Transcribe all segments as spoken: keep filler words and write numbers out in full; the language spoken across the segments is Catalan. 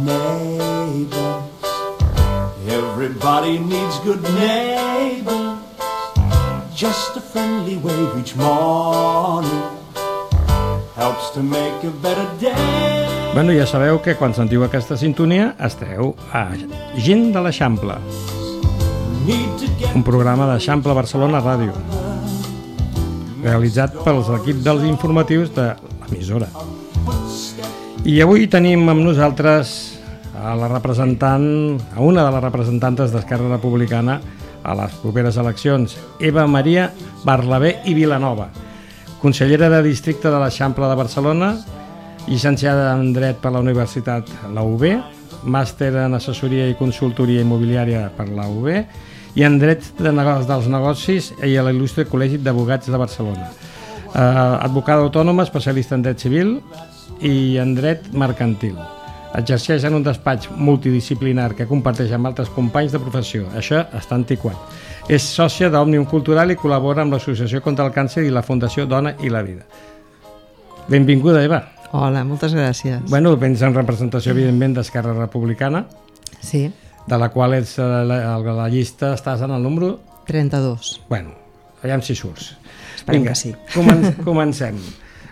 neighbors. Everybody needs good neighbors. Just a friendly wave each morning helps to make a better day. Bueno, ja sabeu que quan sentiu aquesta sintonia esteu a Gent de l'Eixample, un programa d'Eixample Barcelona Ràdio, realitzat pels equips dels informatius de l'emissora. I avui tenim amb nosaltres a la representant, a una de les representantes d'Esquerra Republicana a les properes eleccions, Eva Maria Barlabé i Vilanova, consellera de districte de l'Eixample de Barcelona, llicenciada en Dret per la Universitat la U B, màster en Assessoria i Consultoria Immobiliària per la U B i en Dret de Negocis dels Negocis i a l'Il·lustre Col·legi d'Advocats de Barcelona. Eh, advocada autònoma, especialista en Dret Civil i en Dret Mercantil. Exerceix en un despatx multidisciplinar que comparteix amb altres companys de professió. Això està antiquat. És sòcia d'Òmnium Cultural i col·labora amb l'Associació contra el Càncer i la Fundació Dona i la Vida. Benvinguda, Eva. Hola, moltes gràcies. Bueno, vens en representació, evidentment, d'Esquerra Republicana, sí. De la qual ets a la, a la llista, estàs en el número... trenta-dos. Bueno, aviam si surts. Esperem Vinga, que sí. Comen comencem.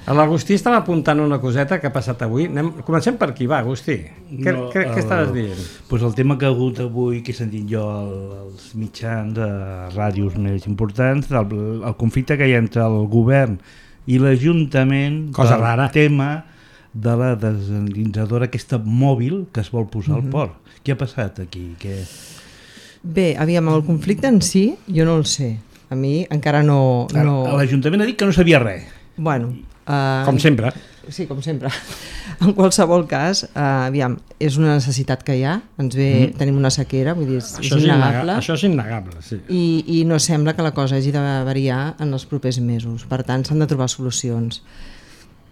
L'Agustí estava apuntant una coseta que ha passat avui. Anem, comencem per aquí, va, Agustí. Què, no, què, què estaves dient? Pues el tema que ha hagut avui, que he sentit jo als mitjans de ràdios més importants, el, el conflicte que hi ha entre el govern i l'Ajuntament del rara. tema de la desalinitzadora aquesta mòbil que es vol posar al port. Què ha passat aquí? Què... Bé, aviam, el conflicte en si jo no el sé. A mi encara no... no... L'Ajuntament ha dit que no sabia res. Bueno... Uh, com sempre. Sí, com sempre. En qualsevol cas, uh, aviam, és una necessitat que hi ha. Ens ve, mm. tenim una sequera, vull dir, és, això és innegable. Això és innegable, sí. I, I no sembla que la cosa hagi de variar en els propers mesos. Per tant, s'han de trobar solucions.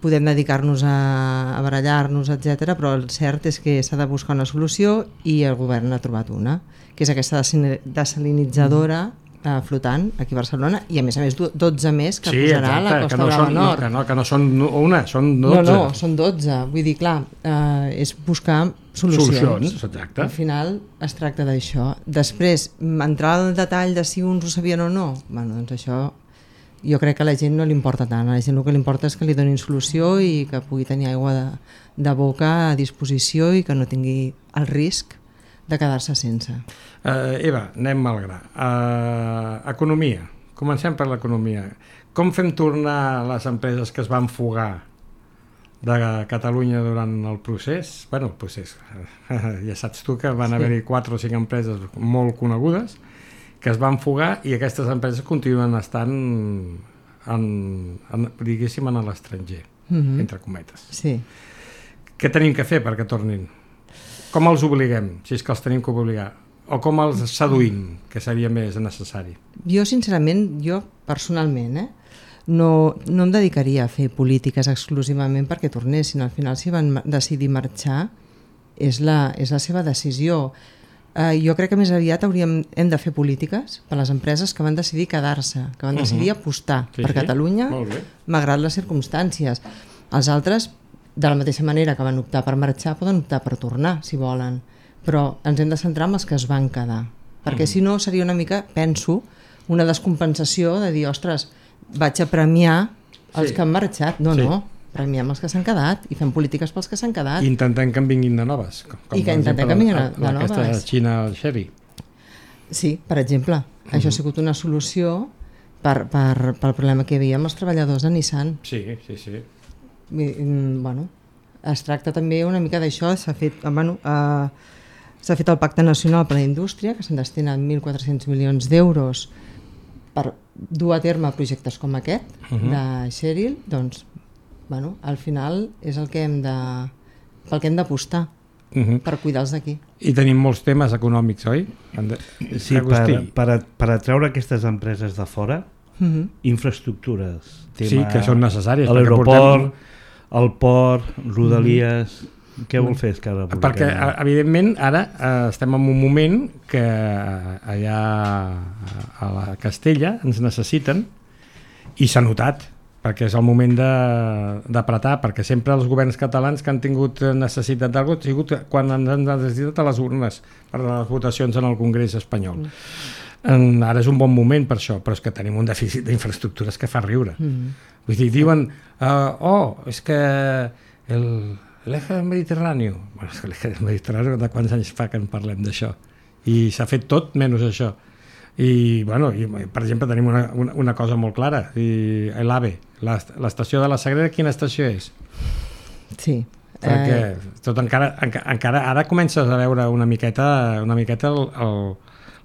Podem dedicar-nos a, a barallar-nos, etcètera, però el cert és que s'ha de buscar una solució i el govern ha trobat una, que és aquesta desalinitzadora eh, flotant aquí a Barcelona i a més a més dotze més que sí, posarà exacte, a la Costa Brava no Nord. Que no, que no són una, són dotze. No, no, són dotze. Vull dir, clar, eh, és buscar solucions. Solucions, exacte. Al final es tracta d'això. Després, entrar al detall de si uns ho sabien o no, bueno, doncs això... Jo crec que a la gent no li importa tant, a la gent el que li importa és que li donin solució i que pugui tenir aigua de, de boca a disposició i que no tingui el risc de quedar-se sense. Uh, Eva, anem al gra. Uh, economia, comencem per l'economia. Com fem tornar les empreses que es van fugar de Catalunya durant el procés? Bueno, el procés, ja saps tu que van sí. haver-hi quatre o cinc empreses molt conegudes que es van fugar i aquestes empreses continuen estant en, en, diguéssim, en l'estranger, mm-hmm. entre cometes. Sí. Què tenim que fer perquè tornin? Com els obliguem, si és que els tenim que obligar? O com els seduïm, que seria més necessari? Jo, sincerament, jo personalment, eh, no, no em dedicaria a fer polítiques exclusivament perquè tornessin. Al final, si van decidir marxar, és la, és la seva decisió. Uh, jo crec que més aviat hauríem, hem de fer polítiques per a les empreses que van decidir quedar-se, que van decidir uh-huh. apostar sí, per sí. Catalunya, malgrat les circumstàncies. Els altres, de la mateixa manera que van optar per marxar, poden optar per tornar, si volen, però ens hem de centrar en els que es van quedar, perquè uh-huh. si no seria una mica, penso, una descompensació de dir, ostres, vaig a premiar els sí. que han marxat. No, sí. no. Premiem els que s'han quedat i fem polítiques pels que s'han quedat. I intentem que en vinguin de noves. Com, com I que intentem que en vinguin de, de noves. Aquesta Xina Sherry. Sí, per exemple. Uh-huh. Això ha sigut una solució per, per, pel problema que hi havia amb els treballadors de Nissan. Sí, sí, sí. I, bueno, es tracta també una mica d'això. S'ha fet, bueno, eh, s'ha fet el Pacte Nacional per a la Indústria, que s'han destinat mil quatre-cents milions d'euros per dur a terme projectes com aquest, uh-huh. de Cheryl, doncs bueno, al final és el que hem de, pel que hem d'apostar uh-huh. per cuidar-los d'aquí. I tenim molts temes econòmics, oi? Sí, per, per, per atraure aquestes empreses de fora, uh-huh. infraestructures. Tema, sí, que són necessàries. L'aeroport, portem... el port, Rodalies... Uh-huh. Què vol fer Esquerra Republicana? Perquè, evidentment, ara eh, estem en un moment que allà a la Castella ens necessiten i s'ha notat. perquè és el moment d'apretar, perquè sempre els governs catalans que han tingut necessitat d'alguna cosa ha sigut quan han necessitat a les urnes per les votacions en el Congrés espanyol. Mm. Ara és un bon moment per això, però és que tenim un dèficit d'infraestructures que fa riure. Mm. Vull dir, diuen, uh, oh, és que el, l'eje mediterrani, bueno, és que l'eje mediterrani de quants anys fa que en parlem d'això? I s'ha fet tot menys això. I, bueno, i, per exemple, tenim una, una, una cosa molt clara, i l'AVE, l'estació de la Sagrera, quina estació és? Sí. Perquè eh... tot encara, encara, encara ara comences a veure una miqueta, una miqueta el, el,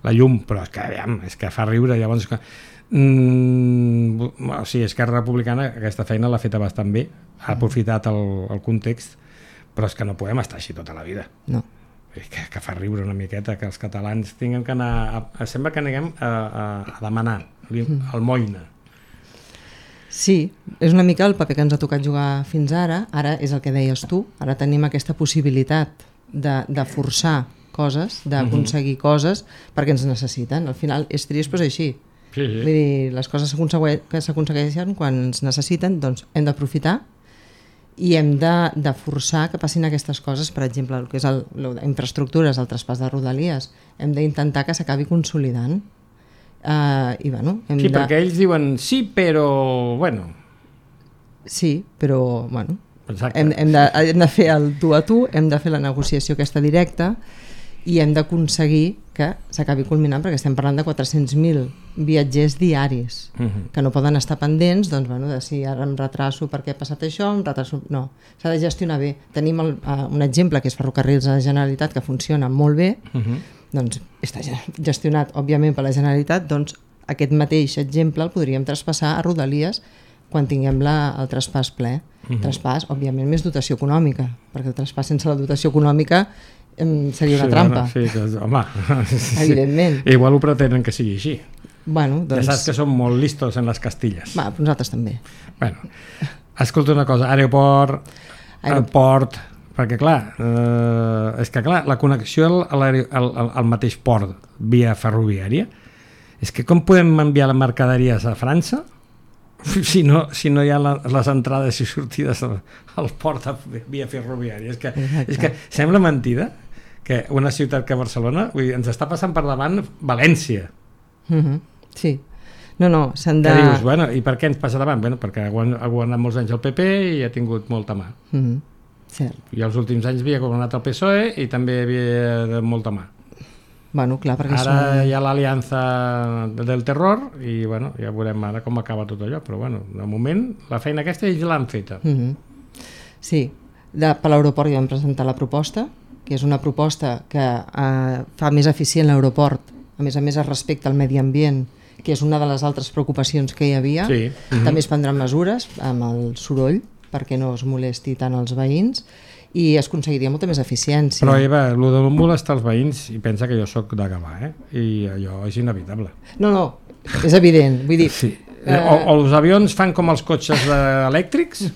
la llum, però és que, aviam, és que fa riure, llavors... Que, mm, o sigui, Esquerra Republicana aquesta feina l'ha feta bastant bé, ha aprofitat el, el context, però és que no podem estar així tota la vida. No. Que, que fa riure una miqueta que els catalans tinguem que anar a, a, sembla que anem a, a, a demanar el moïna. Sí, és una mica el paper que ens ha tocat jugar fins ara. Ara és el que deies tu, ara tenim aquesta possibilitat de, de forçar coses, d'aconseguir uh-huh. coses perquè ens necessiten. Al final és trist, però és així. Sí, sí. Vull dir, les coses que s'aconsegueixen quan ens necessiten, doncs hem d'aprofitar i hem de, de forçar que passin aquestes coses, per exemple, el que és el, infraestructures, el traspàs de Rodalies, hem d'intentar que s'acabi consolidant. Uh, i, bueno, hem sí, de... perquè ells diuen sí, però... bueno. Sí, però... bueno, hem, hem, de, hem de fer el tu a tu, hem de fer la negociació aquesta directa i hem d'aconseguir que s'acabi culminant, perquè estem parlant de quatre-cents mil viatgers diaris uh-huh. que no poden estar pendents, doncs, bueno, de si ara em retraso perquè ha passat això, em retraso... No, s'ha de gestionar bé. Tenim el, uh, un exemple que és Ferrocarrils de la Generalitat, que funciona molt bé, uh-huh. doncs està gestionat, òbviament, per la Generalitat, doncs aquest mateix exemple el podríem traspassar a Rodalies quan tinguem la, el traspàs ple. Uh-huh. Traspàs, òbviament, més dotació econòmica, perquè el traspàs sense la dotació econòmica seria una sí, trampa. Bueno, sí, que, home, evidentment. Sí. Igual ho pretenen que sigui així. Bueno, doncs... Ja saps que som molt listos en les castilles. Va, nosaltres també. Bueno, escolta una cosa, aeroport, aeroport, perquè clar, eh, és que clar, la connexió al, al, al, al mateix port via ferroviària, és que com podem enviar les mercaderies a França si no, si no hi ha la, les entrades i sortides al, al port via ferroviària? És que, és que sembla mentida que una ciutat que Barcelona, vull dir, ens està passant per davant València. Mm-hmm. Sí. No, no, s'han de... Que dius, bueno, i per què ens passa davant? Bueno, perquè ha governat molts anys el P P i ha tingut molta mà. Mm-hmm. Cert. I els últims anys havia governat el P S O E i també havia de molta mà. Bueno, clar, perquè ara són... hi ha l'aliança del terror i bueno, ja veurem ara com acaba tot allò, però bueno, de moment la feina aquesta ells l'han feta. Mm-hmm. Sí, de, per l'aeroport ja vam presentar la proposta, que és una proposta que eh, fa més eficient l'aeroport, a més a més es respecta el medi ambient, que és una de les altres preocupacions que hi havia. Sí. Mm-hmm. També es prendran mesures amb el soroll perquè no es molesti tant els veïns i es aconseguiria molta més eficiència. Però Eva, el de molestar els veïns, i pensa que jo sóc de Gavà, eh? I allò és inevitable. No, no, és evident. Vull dir, sí. eh... o, o els avions fan com els cotxes elèctrics,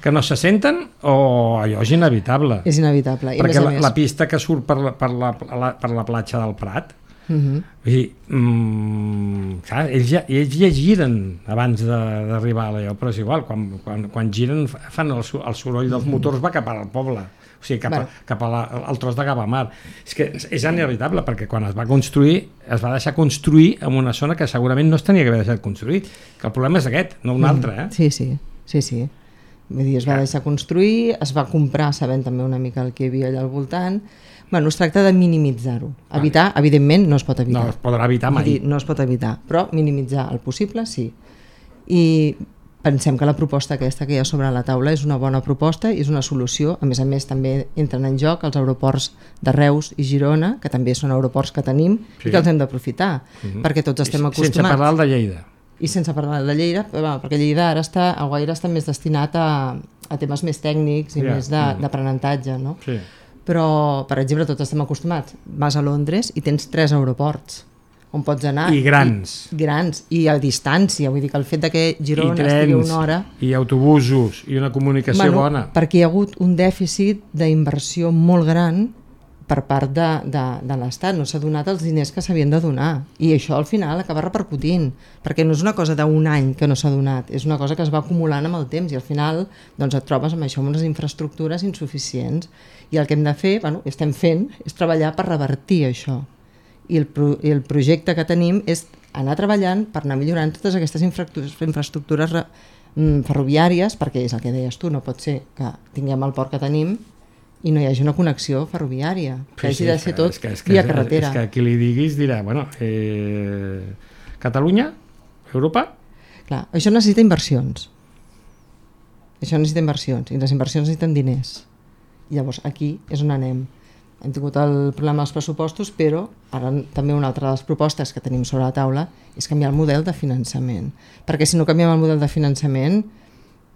que no se senten, o allò és inevitable. És inevitable. I perquè més la, més... la pista que surt per la, per la, la, per la platja del Prat, uh-huh. vull dir, mm, clar, ells, ja, ells ja giren abans d'arribar a allò, però és igual, quan, quan, quan giren fan el, el soroll dels motors va cap al poble, o sigui, cap, bueno. a, cap a la, al tros de Gavamar. És que és, és inevitable, perquè quan es va construir, es va deixar construir en una zona que segurament no es tenia que haver deixat construir, que el problema és aquest, no un altre. Eh? Sí, sí, sí, sí. Vull dir, es va deixar construir, es va comprar sabent també una mica el que hi havia allà al voltant. Bueno, es tracta de minimitzar-ho. Evitar, vale. Evidentment, no es pot evitar. No es podrà evitar mai. Dir, no es pot evitar, però minimitzar el possible, sí. I pensem que la proposta aquesta que hi ha sobre la taula és una bona proposta i és una solució. A més a més, també entren en joc els aeroports de Reus i Girona, que també són aeroports que tenim sí. i que els hem d'aprofitar, mm-hmm. perquè tots estem acostumats. Sense parlar de Lleida. I sense parlar de Lleida, perquè Lleida ara està, el Guaire està més destinat a, a temes més tècnics i yeah. més d'aprenentatge, no? Sí. Però, per exemple, tots estem acostumats. Vas a Londres i tens tres aeroports on pots anar. I grans. I, grans, i a distància. Vull dir que el fet de que Girona estigui una hora... I autobusos, i una comunicació bueno, bona. Perquè hi ha hagut un dèficit d'inversió molt gran per part de, de, de l'Estat, no s'ha donat els diners que s'havien de donar, i això al final acaba repercutint, perquè no és una cosa d'un any que no s'ha donat, és una cosa que es va acumulant amb el temps, i al final doncs, et trobes amb això, amb unes infraestructures insuficients, i el que hem de fer, bueno, estem fent, és treballar per revertir això, i el, pro, i el projecte que tenim és anar treballant per anar millorant totes aquestes infraestructures ferroviàries, perquè és el que deies tu, no pot ser que tinguem el port que tenim i no hi hagi una connexió ferroviària, que sí, hagi de ser tot és que, via és, carretera. És que qui li diguis dirà, bueno, eh, Catalunya, Europa... Clar, això necessita inversions. Això necessita inversions, i les inversions necessiten diners. Llavors, aquí és on anem. Hem tingut el problema dels pressupostos, però ara també una altra de les propostes que tenim sobre la taula és canviar el model de finançament. Perquè si no canviem el model de finançament,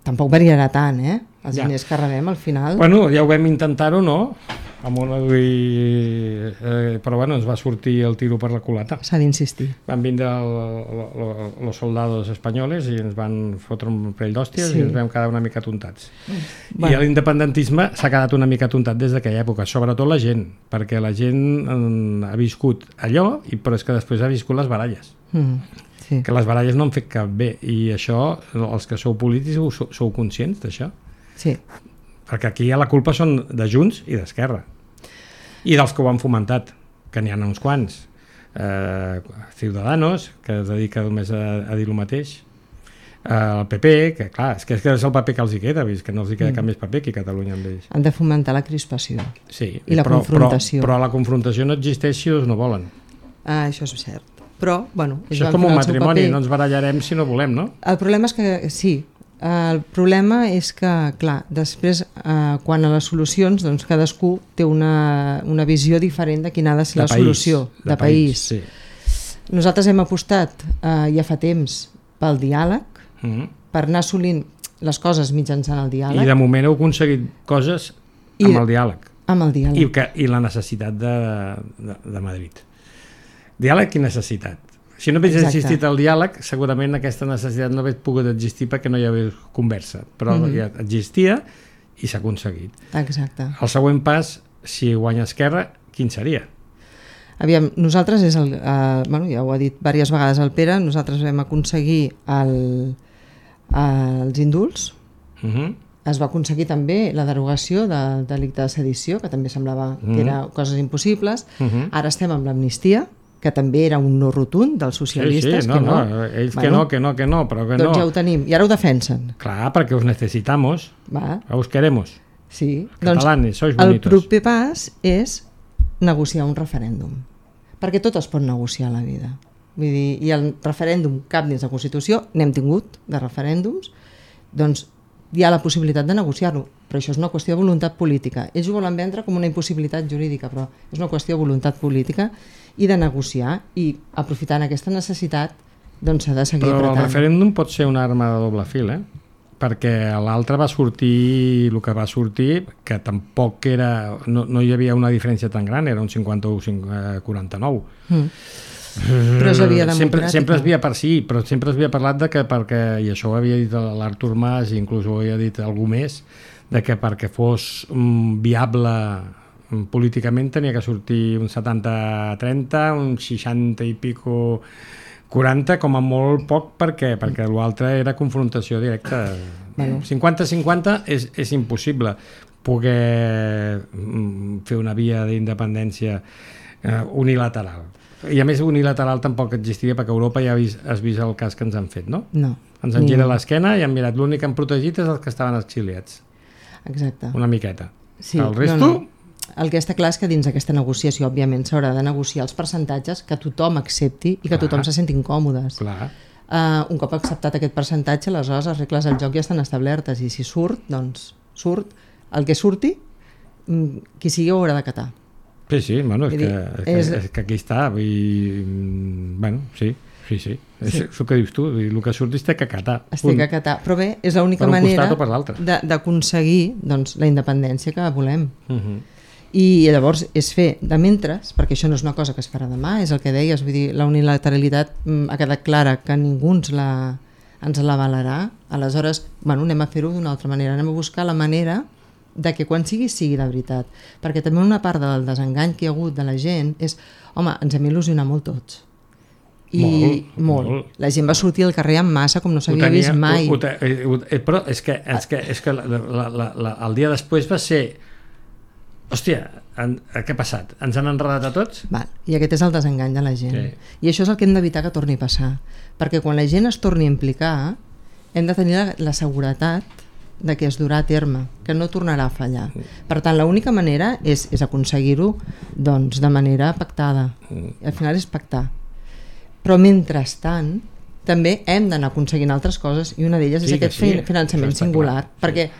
tampoc variarà tant, eh? Els ja. diners que rebem al final... Bueno, ja ho vam intentar-ho, no? Amb una, eh, però bueno, ens va sortir el tiro per la culata. S'ha d'insistir. Van vindre els soldados espanyoles i ens van fotre un parell d'hòsties sí. i ens vam quedar una mica tontats. Bueno. I l'independentisme s'ha quedat una mica tontat des d'aquella època, sobretot la gent, perquè la gent eh, ha viscut allò, i però és que després ha viscut les baralles. Mm, sí. Que les baralles no han fet cap bé, i això, els que sou polítics, sou, sou conscients d'això? Sí. Perquè aquí ja la culpa són de Junts i d'Esquerra. I dels que ho han fomentat, que n'hi ha uns quants. Eh, Ciudadanos, que es dedica només a, a dir el mateix. Eh, el P P, que clar, és que és el paper que els hi queda, vist que no els hi queda mm. cap més paper aquí a Catalunya amb ells. Han de fomentar la crispació. Sí, i la però, confrontació. Però, però la confrontació no existeix si ells no volen. Ah, això és cert. Però, bueno... Això és com un matrimoni, no ens barallarem si no volem, no? El problema és que, sí, el problema és que, clar, després, eh, quan a les solucions, doncs cadascú té una, una visió diferent de quina ha de ser de la país, solució, de, de país. país. Sí. Nosaltres hem apostat eh, ja fa temps pel diàleg, mm-hmm. per anar assolint les coses mitjançant el diàleg. I de moment heu aconseguit coses amb I, el diàleg. Amb el diàleg. I, que, i la necessitat de, de, de Madrid. Diàleg i necessitat. Si no hagués existit el diàleg, segurament aquesta necessitat no hagués pogut existir perquè no hi hagués conversa, però mm-hmm. ja existia i s'ha aconseguit. Exacte. El següent pas, si guanya Esquerra, quin seria? Aviam, nosaltres és el, eh, bueno, ja ho ha dit diverses vegades el Pere, nosaltres vam aconseguir el, els indults, mm-hmm. es va aconseguir també la derogació del delicte de sedició, que també semblava mm-hmm. que eren coses impossibles, mm-hmm. ara estem amb l'amnistia, que també era un no rotund dels socialistes. Sí, sí, no, que no, no, ells bueno, que no, que no, que no, però que doncs no. Doncs ja ho tenim, i ara ho defensen. Clar, perquè us necesitamos, va. Us queremos. Sí, catalanes, doncs sois bonitos. El proper pas és negociar un referèndum, perquè tot es pot negociar a la vida. Vull dir, i el referèndum cap dins la Constitució, n'hem tingut de referèndums, doncs hi ha la possibilitat de negociar-lo, però això és una qüestió de voluntat política. Ells ho volen vendre com una impossibilitat jurídica, però és una qüestió de voluntat política i de negociar, i aprofitant aquesta necessitat doncs s'ha de seguir però apretant. El referèndum pot ser una arma de doble fil, eh? Perquè l'altre va sortir el que va sortir, que tampoc era, no, no hi havia una diferència tan gran, era un cinquanta-u a quaranta-nou. Mm. Però és la via democràtica. Sempre, sempre es havia per sí, però sempre es havia parlat de que perquè, i això ho havia dit l'Artur Mas, i inclús ho havia dit algú més, de que perquè fos um, viable um, políticament tenia que sortir un setanta trenta, un seixanta i pico quaranta, com a molt poc, perquè perquè l'altre era confrontació directa. Bueno. cinquanta cinquanta és, és impossible poder um, fer una via d'independència uh, unilateral. I a més unilateral tampoc existiria, perquè Europa ja ha vist, has vist el cas que ens han fet, no? No. Ens han girat l'esquena i han mirat, l'únic que han protegit és els que estaven exiliats. Exacte. Una miqueta. Sí, el resto... No, no. El que està clar és que dins d'aquesta negociació, òbviament, s'haurà de negociar els percentatges que tothom accepti i que clar. Tothom se senti incòmodes. Clar. Uh, un cop acceptat aquest percentatge, aleshores les regles del joc ja estan establertes, i si surt, doncs surt. El que surti, qui sigui ho haurà d'acatar. Sí, sí, bueno, és, dir, que, és, és... que, és que aquí està, i, bueno, sí, sí, sí, és sí. El que dius tu, el que surtis té que acatar. Es té que acatar, però bé, és l'única manera d'aconseguir doncs, la independència que volem. Uh-huh. I llavors és fer de mentres, perquè això no és una cosa que es farà demà, és el que deies, vull dir, la unilateralitat ha quedat clara que ningú ens la, ens la avalarà, aleshores, bueno, anem a fer-ho d'una altra manera, anem a buscar la manera de que quan sigui, sigui de veritat. Perquè també una part del desengany que hi ha hagut de la gent és, home, ens hem il·lusionat molt tots. I molt, molt. molt. La gent va sortir al carrer en massa com no s'havia vist mai. Ho, ho, ho, però és que, és que, és que la, la, la, la, el dia després va ser hòstia, en, què ha passat? Ens han enredat a tots? Val. I aquest és el desengany de la gent. Sí. I això és el que hem d'evitar que torni a passar. Perquè quan la gent es torni a implicar, hem de tenir la, la seguretat de que es durà a terme, que no tornarà a fallar. Per tant, l'única manera és, és aconseguir-ho doncs, de manera pactada. Al final és pactar. Però mentrestant també hem d'anar aconseguint altres coses i una d'elles sí, és aquest sí, finançament singular, clar. Perquè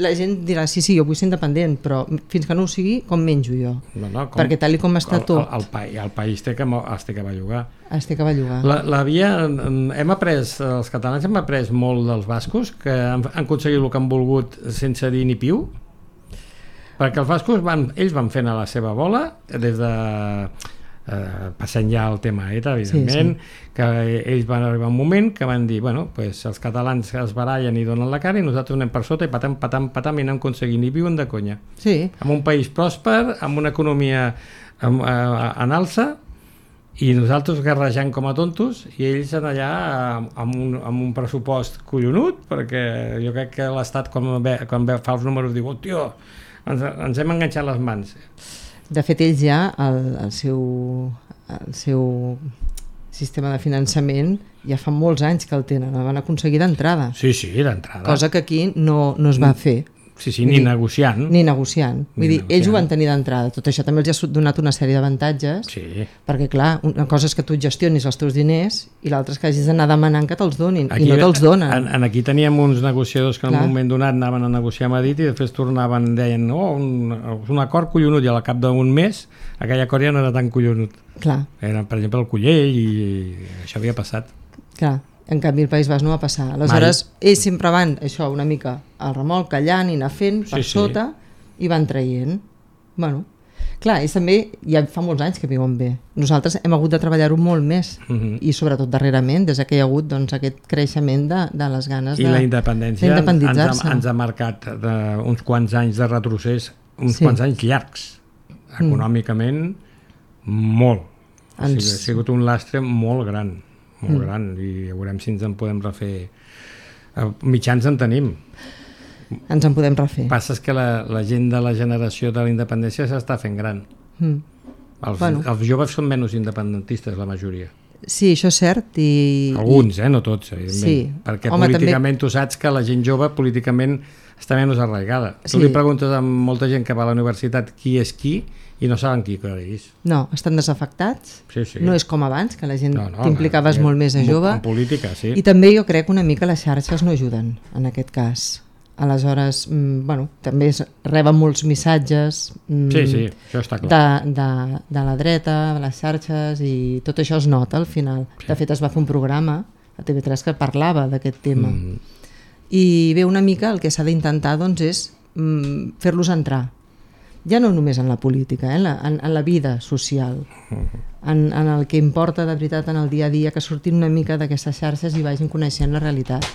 la gent dirà, sí, sí, jo vull ser independent, però fins que no ho sigui, com menjo jo? No, no, com, perquè tal com està el, tot... El, el, el país té que, es té que bellugar. Es té que bellugar. La, la via, hem après, els catalans hem après molt dels bascos, que han, han aconseguit el que han volgut sense dir ni piu, perquè els bascos van, ells van fent a la seva bola des de... Uh, passant ja el tema ETA, evidentment, sí, sí. Que ells van arribar un moment que van dir, bueno, pues els catalans es barallen i donen la cara i nosaltres anem per sota i patam, patam, patam i anem aconseguint, i viuen de conya. Sí. Amb un país pròsper, amb una economia amb, uh, en alça, i nosaltres guerrejant com a tontos, i ells en allà amb un, amb un pressupost collonut, perquè jo crec que l'Estat quan, ve, quan ve, fa els números diu, oh, tio, ens, ens hem enganxat les mans. De fet, ells ja, el, el, seu, el seu sistema de finançament ja fa molts anys que el tenen, el van aconseguir d'entrada. Sí, sí, d'entrada. Cosa que aquí no, no es va fer. Sí, sí, ni dir, negociant. Ni negociant. Vull ni dir, negociant. Ells ho van tenir d'entrada. Tot això també els ha donat una sèrie d'avantatges, sí. Perquè, clar, una cosa és que tu gestionis els teus diners i l'altra és que hagis d'anar demanant que te'ls donin, aquí, i no te'ls donen. En, en aquí teníem uns negociadors que en clar. Un moment donat anaven a negociar a Madrid i després tornaven, deien, no, oh, un, un acord collonut, i al cap d'un mes aquell acord ja no era tan collonut. Clar. Era, per exemple, el Cullell, i, i això havia passat. Clar. En canvi el País Basc no va passar. Aleshores, mai. Ells sempre van, això, una mica al remolc, callant i anar fent per sí, sota sí. I van traient. Bueno, clar, ells també ja fa molts anys que viuen bé. Nosaltres hem hagut de treballar-ho molt més uh -huh. i sobretot darrerament, des que hi ha hagut doncs, aquest creixement de, de les ganes I de, la independència ens ha, ens ha marcat de, uns quants anys de retrocés, uns sí. quants anys llargs, econòmicament mm. molt. O sigui, ens... ha sigut un lastre molt gran. molt mm. gran, i veurem si ens en podem refer. Mitjans en tenim. Ens en podem refer. Passa que la, la gent de la generació de la independència s'està fent gran. Mm. Els, bueno. els joves són menys independentistes, la majoria. Sí, això és cert. I, Alguns, i... eh? No tots, evidentment. Sí. Perquè Home, políticament també... tu saps que la gent jove políticament està menys arraigada. Sí. Tu li preguntes a molta gent que va a la universitat qui és qui i no saben qui és. No, estan desafectats. Sí, sí. No és com abans, que la gent no, no, t'implicaves no, molt més a jove. En política, sí. I també jo crec una mica les xarxes no ajuden en aquest cas. Aleshores, mm, bueno, també es reben molts missatges mm, sí, sí, això està clar. De, de, de la dreta, de les xarxes, i tot això es nota al final. Sí. De fet, es va fer un programa a T V tres que parlava d'aquest tema. Mm. I bé, una mica el que s'ha d'intentar doncs, és mm, fer-los entrar. Ja no només en la política, eh? en, la, en, en la vida social, en, en el que importa de veritat en el dia a dia, que surtin una mica d'aquestes xarxes i vagin coneixent la realitat.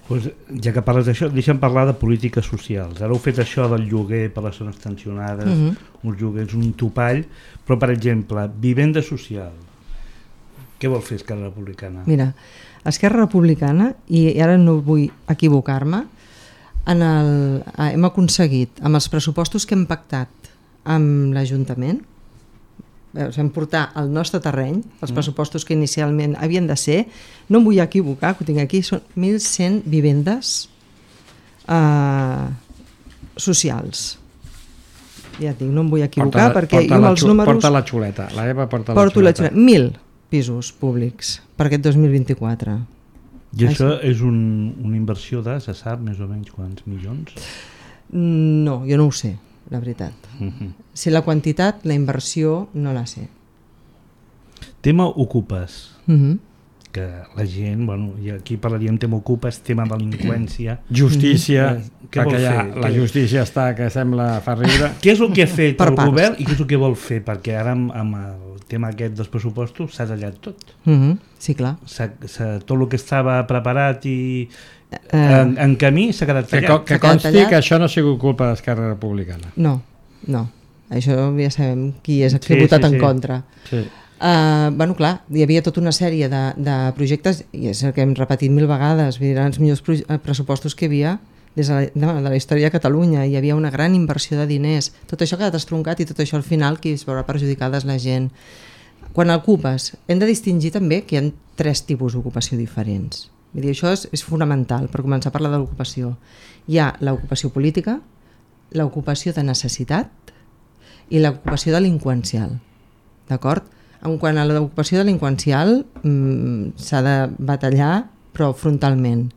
Pues, ja que parles d'això, deixa'm parlar de polítiques socials. Ara heu fet això del lloguer per les zones tensionades, uh -huh. uns lloguers, un topall, però per exemple, vivenda social. Què vol fer Esquerra Republicana? Mira, Esquerra Republicana, i ara no vull equivocar-me, en el, hem aconseguit, amb els pressupostos que hem pactat amb l'Ajuntament, vam portar al nostre terreny els pressupostos que inicialment havien de ser, no em vull equivocar, que ho tinc aquí, són mil cent vivendes eh, socials. Ja et dic, no em vull equivocar, porta, perquè porta jo amb els números... Porta la xuleta, la Eva porta la porto xuleta. La xuleta. Mil pisos públics per aquest dos mil vint-i-quatre. I això és un, una inversió de, se sap més o menys quants milions? No, jo no ho sé, la veritat. Uh-huh. Si la quantitat, la inversió, no la sé. Tema Ocupes. Uh-huh. que la gent, bueno, i aquí parlaríem tema ocupes, tema delinqüència... Justícia, Mm-hmm. Què vol perquè ja fer? la Què- justícia està que sembla fa riure. Què és el que ha fet Per el parts. govern i què és el que vol fer? Perquè ara amb, amb el tema aquest dels pressupostos s'ha tallat tot. Mhm, sí, clar. S'ha, s'ha, tot el que estava preparat i Eh, en, en camí s'ha quedat Que, tallat. co- que S'ha quedat consti tallat. que això no ha sigut culpa d'Esquerra Republicana. No, no. Això ja sabem qui és qui Sí, ha votat sí, en sí. contra. Sí. Uh, bueno, clar, hi havia tota una sèrie de, de projectes, i és el que hem repetit mil vegades, vull dir, eren els millors pro pressupostos que hi havia des de la, de, de la història de Catalunya. Hi havia una gran inversió de diners. Tot això ha quedat estroncat i tot això al final qui es veurà perjudicada és la gent. Quan ocupes, hem de distingir també que hi ha tres tipus d'ocupació diferents. Vull dir, això és, és fonamental per començar a parlar de l'ocupació. Hi ha l'ocupació política, l'ocupació de necessitat i l'ocupació delinqüencial. D'acord? En quant a l'ocupació delinqüencial, mmm, s'ha de batallar, però frontalment,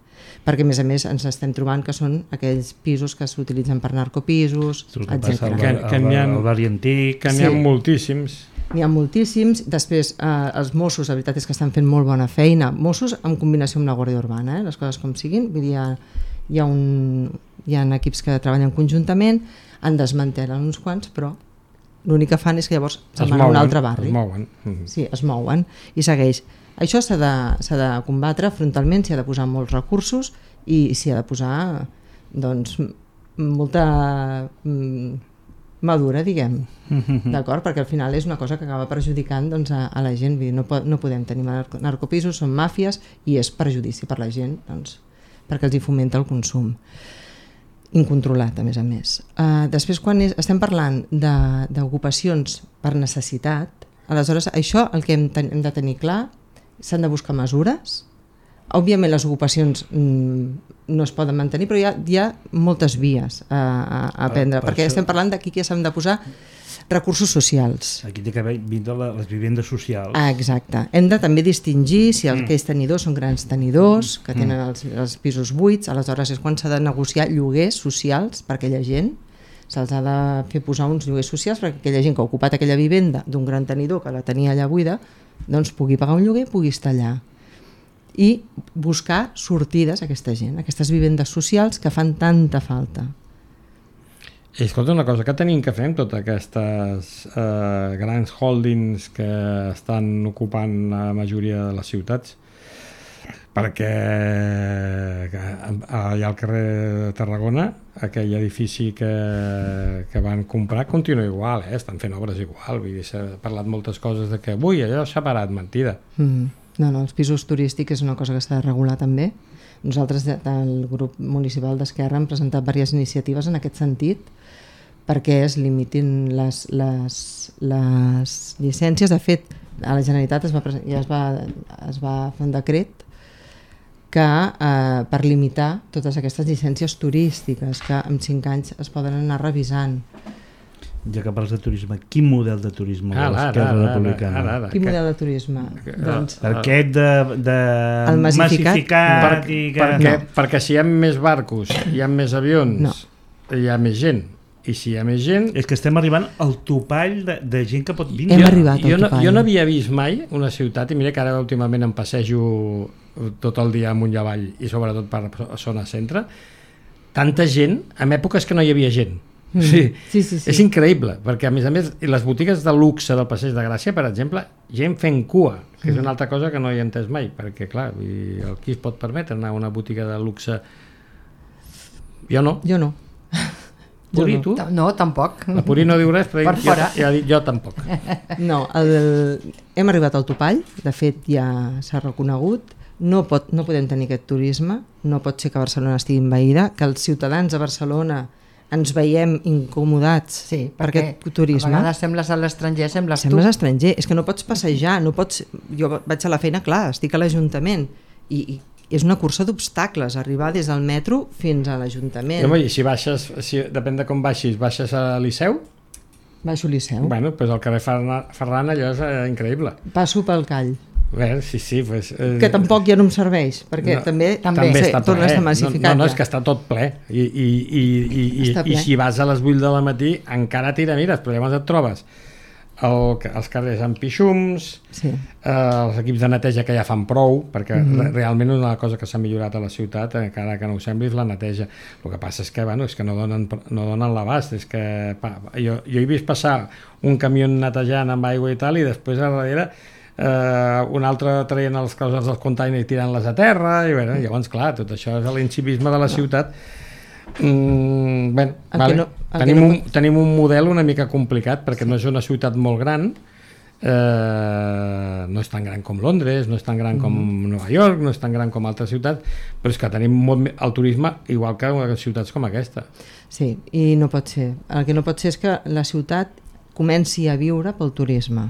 perquè a més a més ens estem trobant que són aquells pisos que s'utilitzen per narcopisos, El que passa al, etcètera. Que- bar- que al, n'hi ha- al barri antic... Que n'hi ha Sí. moltíssims. N'hi ha moltíssims. Després, eh, els Mossos, la veritat és que estan fent molt bona feina. Mossos en combinació amb la Guàrdia Urbana, eh? Les coses com siguin. Vull dir, hi ha, hi ha, un, hi ha equips que treballen conjuntament, en desmantelen uns quants, però l'únic que fan és que llavors se'n van a un altre barri. Es mouen. Mhm. Sí, es mouen i segueix. Això s'ha de, s'ha de combatre frontalment, s'hi ha de posar molts recursos i s'hi ha de posar doncs, m- molta mm, madura, diguem, d'acord? Perquè al final és una cosa que acaba perjudicant doncs, a, a la gent. Vull dir, no, po no podem tenir narco narcopisos, són màfies i és perjudici per la gent doncs, perquè els hi fomenta el consum incontrolat, a més a més. Uh, després, quan és, estem parlant d'ocupacions per necessitat, aleshores això el que hem, ten hem de tenir clar, s'han de buscar mesures. Òbviament les ocupacions mm, no es poden mantenir, però hi ha, hi ha moltes vies a, a, a prendre, per perquè això- estem parlant d'aquí que s'han de posar recursos socials. Aquí té que haver vindre les vivendes socials. Ah, exacte. Hem de també distingir si els aquells tenidors són grans tenidors, que tenen els, els pisos buits, aleshores és quan s'ha de negociar lloguers socials per aquella gent, se'ls ha de fer posar uns lloguers socials perquè aquella gent que ha ocupat aquella vivenda d'un gran tenidor que la tenia allà buida, doncs pugui pagar un lloguer i pugui estar allà. I buscar sortides a aquesta gent, a aquestes vivendes socials que fan tanta falta. I escolta, una cosa que tenim que fer amb totes aquestes eh, grans holdings que estan ocupant la majoria de les ciutats, perquè que, allà al carrer de Tarragona aquell edifici que, que van comprar continua igual, eh? Estan fent obres igual, vull dir, s'ha parlat moltes coses de que avui allò s'ha parat, mentida. Mm. No, no, els pisos turístics és una cosa que s'ha de regular també. Nosaltres de, del grup municipal d'Esquerra hem presentat diverses iniciatives en aquest sentit perquè es limitin les, les, les llicències. De fet, a la Generalitat es va, ja es va, es va fer un decret que eh, per limitar totes aquestes llicències turístiques que en cinc anys es poden anar revisant. Ja que parles de turisme, quin model de turisme Ara, vols ara, Esquerra ara, Republicana? ara, ara. Quin Que- model de turisme? Doncs, Aquest de, de El massificat? massificat Per, i que... perquè, No. perquè si hi ha més barcos, hi ha més avions, No. hi ha més gent. I si hi ha més gent... És que estem arribant al topall de, de gent que pot vindre. Hem arribat al jo, no, topall. jo no havia vist mai una ciutat, i mira que ara últimament em passejo tot el dia amunt i avall i sobretot per zona centre, tanta gent en èpoques que no hi havia gent. Mm. Sí. Sí, sí, sí. És increïble, perquè a més a més les botigues de luxe del Passeig de Gràcia, per exemple, gent fent cua, que és una altra cosa que no he entès mai, perquè clar, vull dir, el qui es pot permetre anar a una botiga de luxe? Jo no. Jo no. Puri, no. tu? No, tampoc. La Puri no diu res, però Per jo, fora. ja ha dit jo tampoc. No, el, hem arribat al topall, de fet ja s'ha reconegut, no, pot, no podem tenir aquest turisme, no pot ser que Barcelona estigui envaïda, que els ciutadans de Barcelona ens veiem incomodats Sí, per perquè aquest turisme. a vegades sembles a l'estranger, sembles, Sembles tu. estranger, és que no pots passejar, no pots... Jo vaig a la feina, clar, estic a l'Ajuntament i, i és una cursa d'obstacles, arribar des del metro fins a l'Ajuntament. I, home, i si baixes, si, depèn de com baixis, baixes a Liceu, Baixo Liceu, bueno, pues al carrer Ferran, Ferran allò és eh, increïble. passo pel Call, Bé, sí, sí, pues, eh, que tampoc ja no em serveix, perquè No, també, també també sí, està torna a ple. estar No, massificat. no, no, ja. és que està tot ple. I, i, i, i, i, Està i ple. si vas a les vuit de la matí encara tira mires, però llavors et trobes el, els carrers amb pixums, Sí. eh, els equips de neteja que ja fan prou, perquè Mhm. re realment una cosa que s'ha millorat a la ciutat, encara que no ho sembli, és la neteja. El que passa és que, bueno, és que no donen, no donen l'abast, és que pa, jo, jo he vist passar un camió netejant amb aigua i tal, i després a darrere eh, un altre traient els coses dels containers i tirant-les a terra, i bueno, llavors clar, tot això és l'incivisme de la ciutat. Mm, bé, El vale. que no- el tenim, que no un, pot- tenim un model una mica complicat perquè no és una ciutat molt gran, eh, no és tan gran com Londres, no és tan gran com Nova York, no és tan gran com altres ciutats, però és que tenim molt, me- el turisme igual que ciutats com aquesta. Sí, i no pot ser. El que no pot ser és que la ciutat comenci a viure pel turisme.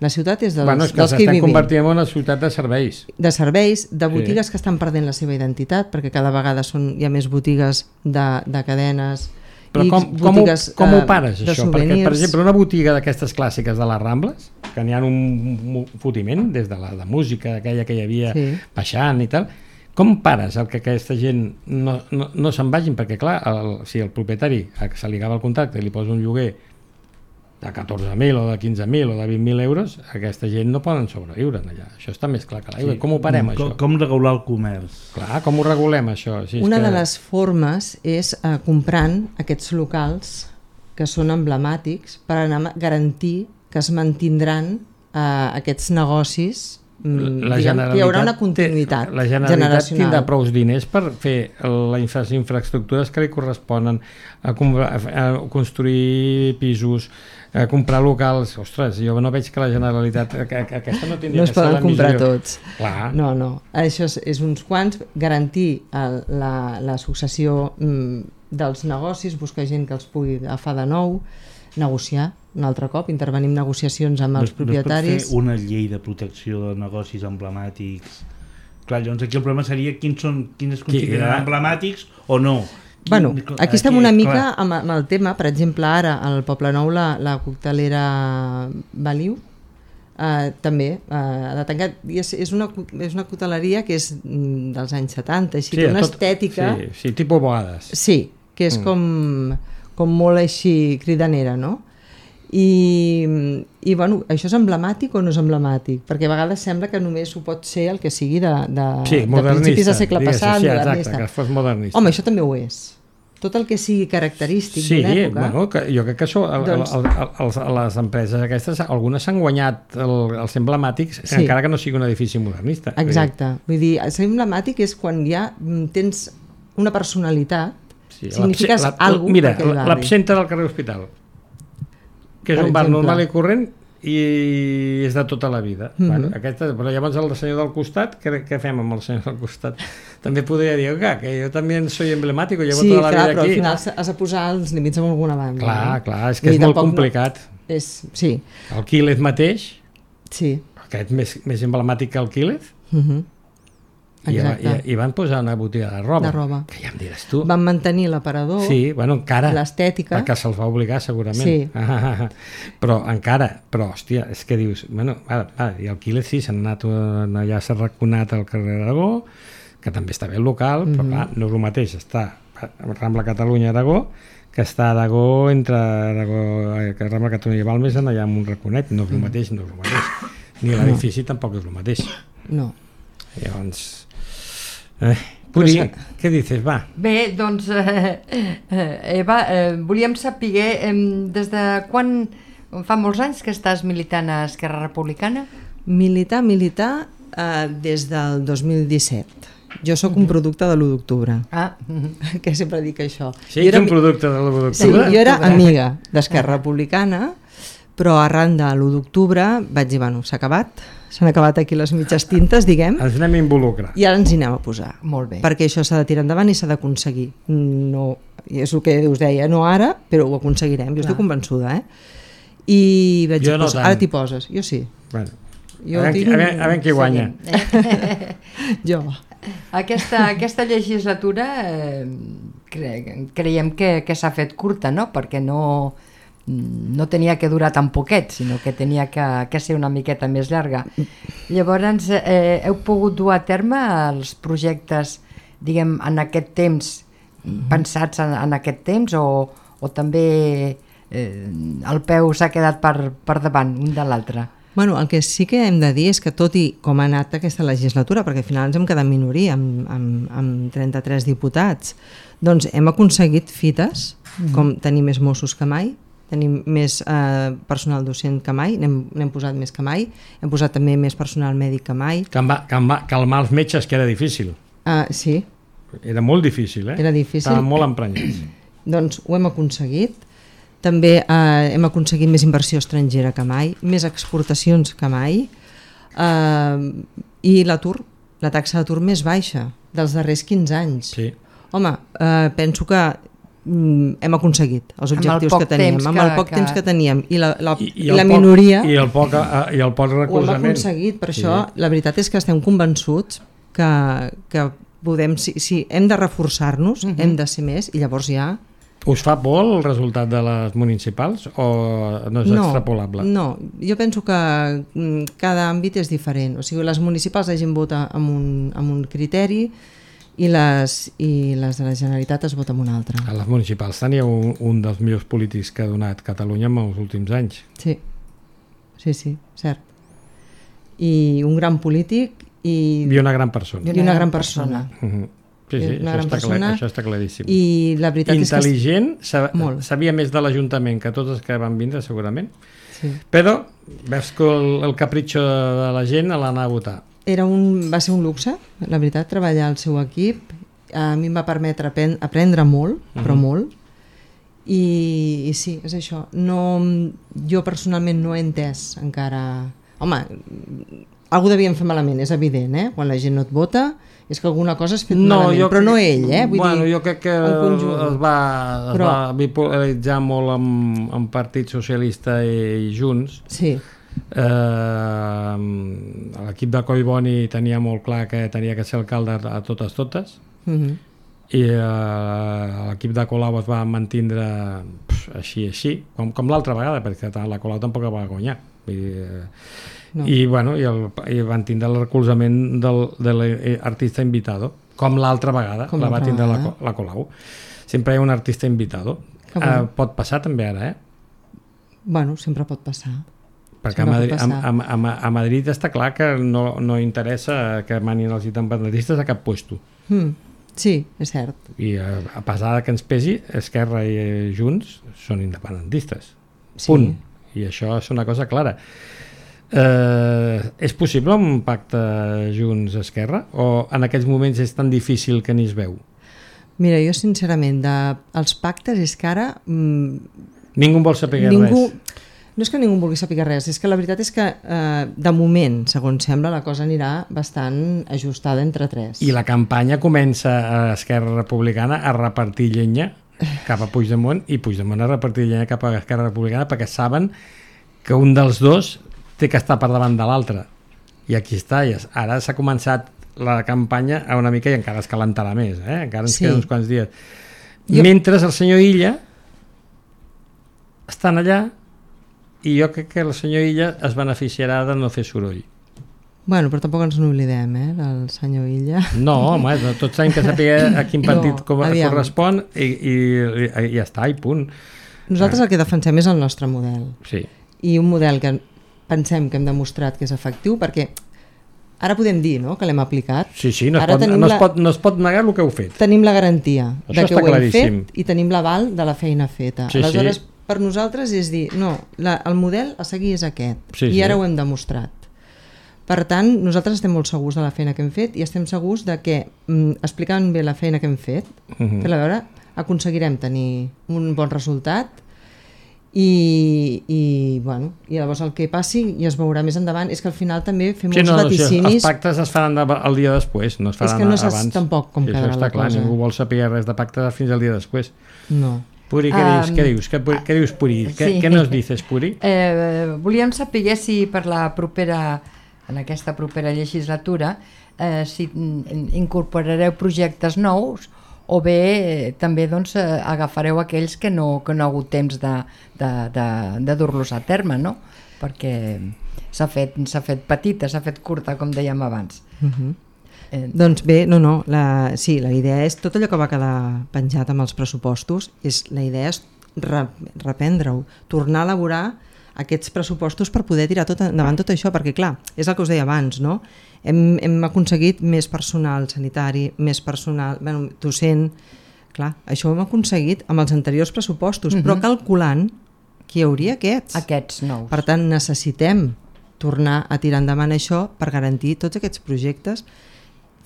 La ciutat és dels, Bueno, és que dels que hi s'estem vivim. convertint en una ciutat de serveis. De serveis, de botigues Sí. que estan perdent la seva identitat, perquè cada vegada són, hi ha més botigues de, de cadenes, Però i com, com, ho, botigues com eh, ho pares, de això? Perquè, souvenirs. per exemple, una botiga d'aquestes clàssiques de les Rambles, que n'hi ha un, un fotiment, des de la de música, aquella que hi havia Sí. baixant i tal, com pares el que aquesta gent no, no, no se'n vagin? Perquè, clar, el, si el propietari a que se li acaba el contracte i li posa un lloguer de catorze mil o de quinze mil o de vint mil euros, aquesta gent no poden sobreviure allà. Això està més clar que l'aigua. Sí. Com ho parem, com, això? Com regular el comerç? Clar, com ho regulem, això? Si és Una que... de les formes és eh, comprant aquests locals que són emblemàtics per anar a garantir que es mantindran eh, aquests negocis, mm, La diguem, que hi haurà una Generalitat continuïtat té- la Generalitat generacional. tindrà prou diners per fer les infra infraestructures que li corresponen, a, com- a construir pisos, a comprar locals. Ostres, jo no veig que la Generalitat a- a- aquesta no tindria No es que ser poden la comprar missió. tots. Clar. No, no. Això és, és uns quants, garantir el, la, la successió mm, dels negocis, buscar gent que els pugui agafar de nou, negociar un altre cop, intervenir en negociacions amb els No es- no propietaris. es pot fer una llei de protecció de negocis emblemàtics. Clar, llavors aquí el problema seria quins són, quins es consideren ja. emblemàtics o no. Bueno, Quin- aquí estem una clar. mica amb, amb el tema, per exemple, ara al Poble Nou la, la coctelera Baliu eh, també eh, ha de tancar, i és, és, una, és una coteleria que és mm, dels anys setanta, així, sí, una tot- estètica, Sí, sí, tipus Boades. sí, que és mm. com, com molt així cridanera, no? I, i bueno, això és emblemàtic o no és emblemàtic? Perquè a vegades sembla que només ho pot ser el que sigui de, de, Sí, de modernista. principis de segle diguéssim, passat, sí, exacte, modernista. que fos modernista. Home, això també ho és. Tot el que sigui característic Sí, d'una època... bueno, que jo crec que això, el, Doncs- el, el, els, les empreses aquestes, algunes s'han guanyat el, els emblemàtics, Sí. encara que no sigui un edifici modernista. Exacte. Vull dir, ser emblemàtic és quan ja mm, tens una personalitat, Sí, signifiques l'abse- la- alguna Mira, per aquell barri. l'absenta del carrer Hospital, que és Per un bar exemple. normal i corrent i és de tota la vida. Mhm. bueno, aquesta, però llavors el senyor del costat, què, què fem amb el senyor del costat? També podria dir que, que jo també soy emblemàtic, llevo Sí, tota la clar, vida però al aquí. final has de posar els límits en alguna banda. Clar, no? clar, és Vull que és dir, molt tampoc no- complicat. És, sí, El Quílez mateix, sí. aquest més, més emblemàtic que el Quílez, Uh -huh. i, Exacte. i, i van posar una botiga de roba. De roba. Que ja em diràs tu. Van mantenir l'aparador, Sí, bueno, encara. l'estètica. Perquè se'ls va obligar, segurament. Sí. Ah, però encara, però, hòstia, és que dius, bueno, ara, ara, i el Quílez sí, s'han anat, eh, allà s'ha raconat al carrer Aragó, que també està bé el local, però Mhm. clar, no és el mateix, està a Rambla Catalunya Aragó, que està a Aragó entre Aragó, eh, que Rambla Catalunya i Balmes, allà amb un raconet, no és el mateix, no és el mateix. Ni l'edifici tampoc és el mateix. No. Llavors... Eh, Puri, què dices, va? Bé, doncs, eh, eh, Eva, eh, volíem saber eh, des de quan, fa molts anys que estàs militant a Esquerra Republicana? Militar, militar, eh, des del dos mil disset. Jo sóc un producte de l'u d'octubre, Ah, que sempre dic això. Sí, Jo ets era un mi- producte de l'u Sí, d'octubre? jo era amiga d'Esquerra Republicana, però arran de l'u d'octubre vaig dir, bueno, s'ha acabat, s'han acabat aquí les mitges tintes, diguem, Ens anem a involucrar. i ara ens hi anem a posar. molt bé. Perquè això s'ha de tirar endavant i s'ha d'aconseguir. No, és el que us deia, no ara, però ho aconseguirem, jo estic convençuda, eh? I vaig Jo dir, no pues, tant. ara t'hi poses, jo sí. Bueno, Jo a, veure, tinc- qui- a, veure, a veure qui guanya. Jo. Aquesta, aquesta legislatura eh, cre creiem que, que s'ha fet curta, no? Perquè no, no tenia que durar tan poquet, sinó que tenia que, que ser una miqueta més llarga. Llavors, eh, heu pogut dur a terme els projectes, diguem, en aquest temps, pensats en, en aquest temps, o, o també eh, el peu s'ha quedat per, per davant un de l'altre. Bueno, el que sí que hem de dir és que tot i com ha anat aquesta legislatura, perquè al final ens hem quedat minoria amb, amb, amb trenta-tres diputats, doncs hem aconseguit fites, mm. com tenir més Mossos que mai, tenim més eh, personal docent que mai, n'hem posat més que mai, hem posat també més personal mèdic que mai. Calmar, calmar, calmar els metges, que era difícil. Uh, sí. Era molt difícil, eh? Era difícil. Estaven molt emprenyats. Doncs ho hem aconseguit. També eh, hem aconseguit més inversió estrangera que mai, més exportacions que mai, eh, i l'atur, la taxa d'atur més baixa dels darrers quinze anys. Sí. Home, eh, penso que mm, hem aconseguit els objectius que teníem, amb el poc que, temps que teníem i la, la, I, i la poc, minoria i el poc, i el poc recolzament. Ho hem aconseguit, per sí. això la veritat és que estem convençuts que, que podem, si, si hem de reforçar-nos, uh-huh. hem de ser més, i llavors ja... Us fa por el resultat de les municipals o no és no, extrapolable? No, jo penso que cada àmbit és diferent. O sigui, les municipals la gent vota amb un, amb un criteri i les, i les de la Generalitat es vota amb un altre. A les municipals tenia un, un dels millors polítics que ha donat Catalunya en els últims anys. Sí, sí, sí, cert. I un gran polític i, I una gran persona. I una, una gran persona. persona. Uh-huh. Sí, sí, això està, clar, això està claríssim. I la veritat intel·ligent, és que... sabia més de l'Ajuntament que tots els que van vindre, segurament. Sí. Però veus que el, el capritxo de la gent l'anar a votar. Era un, va ser un luxe, la veritat, treballar al seu equip. A mi em va permetre aprendre molt, uh-huh. però molt. I, I sí, és això. No, jo personalment no he entès encara... Home, algú devíem fer malament, és evident, eh? Quan la gent no et vota... és que alguna cosa has fet no, malament, jo, però no ell, eh? Vull bueno, dir, jo crec que es va, es però, va bipolaritzar molt amb, amb Partit Socialista i, i Junts. Sí. Eh, l'equip de Collboni tenia molt clar que tenia que ser alcalde a totes totes, uh-huh. i eh, l'equip de Colau es va mantindre pff, així, així, com, com l'altra vegada, perquè la Colau tampoc va guanyar. Vull dir, eh, No. I, bueno, i, el, i van tindre el recolzament del, de l'artista invitado, com l'altra vegada com la va tindre la, la Colau. Sempre hi ha un artista invitado. Uh, pot passar també ara, eh? Bueno, sempre pot passar. Perquè a Madrid, a, a, a, a Madrid està clar que no, no interessa que manin els independentistes a cap puesto. Mm, sí, és cert. I a, a pesar que ens pesi, Esquerra i Junts són independentistes. Sí. Punt. I això és una cosa clara. Eh, és possible un pacte Junts-Esquerra o en aquests moments és tan difícil que ni es veu? Mira, jo sincerament de, els pactes és que ara mmm, ningú vol saber ningú, res. No és que ningú vulgui saber res, és que la veritat és que eh, de moment, segons sembla, la cosa anirà bastant ajustada entre tres. I la campanya comença a Esquerra Republicana a repartir llenya cap a Puigdemont i Puigdemont a repartir llenya cap a Esquerra Republicana perquè saben que un dels dos té que estar per davant de l'altre, i aquí està, i ara s'ha començat la campanya a una mica i encara es calentarà més, eh? Encara ens sí. queden uns quants dies. Jo... Mentre el senyor Illa estan allà i jo crec que el senyor Illa es beneficiarà de no fer soroll. Bueno, però tampoc ens n'oblidem, eh, del senyor Illa. No, home, tots sabem que saber a quin partit no, correspon i, i, i, i ja està, i punt. Nosaltres el que defensem és el nostre model. Sí. I un model que pensem que hem demostrat que és efectiu, perquè ara podem dir, no?, que l'hem aplicat. Sí, sí, no es, pot, no, es pot, no es pot negar el que heu fet. Tenim la garantia això de que ho claríssim. hem fet i tenim l'aval de la feina feta. Sí, aleshores, sí. per nosaltres és dir, no, la, el model a seguir és aquest, sí, i ara sí. ho hem demostrat. Per tant, nosaltres estem molt segurs de la feina que hem fet i estem segurs de que, mm, explicant bé la feina que hem fet, uh-huh. fer-la veure, aconseguirem tenir un bon resultat. I, i, bueno, i llavors el que passi i es veurà més endavant és que al final també fem sí, molts no, vaticinis. Els pactes es faran el dia després, no es faran abans. És que no saps tampoc com sí, quedarà la clar, cosa. Ningú vol saber res de pactes fins al dia després. No. Puri, què um, dius? Què dius? Què, què dius, Puri? Sí. Què, què nos dices, Puri? Eh, volíem saber si per la propera, en aquesta propera legislatura, eh, si incorporareu projectes nous o bé eh, també doncs, eh, agafareu aquells que no, que no ha hagut temps de, de, de, de dur-los a terme, no? Perquè s'ha fet, s'ha fet petita, s'ha fet curta, com dèiem abans. Uh-huh. eh... Doncs bé, no, no, la, sí, la idea és tot allò que va quedar penjat amb els pressupostos, és, la idea és re, reprendre-ho, tornar a elaborar aquests pressupostos per poder tirar tot endavant tot això, perquè clar, és el que us deia abans, no? Hem, hem aconseguit més personal sanitari, més personal bueno, docent, clar, això ho hem aconseguit amb els anteriors pressupostos, uh-huh. però calculant que hi hauria aquests. Aquests nous. Per tant, necessitem tornar a tirar endavant això per garantir tots aquests projectes,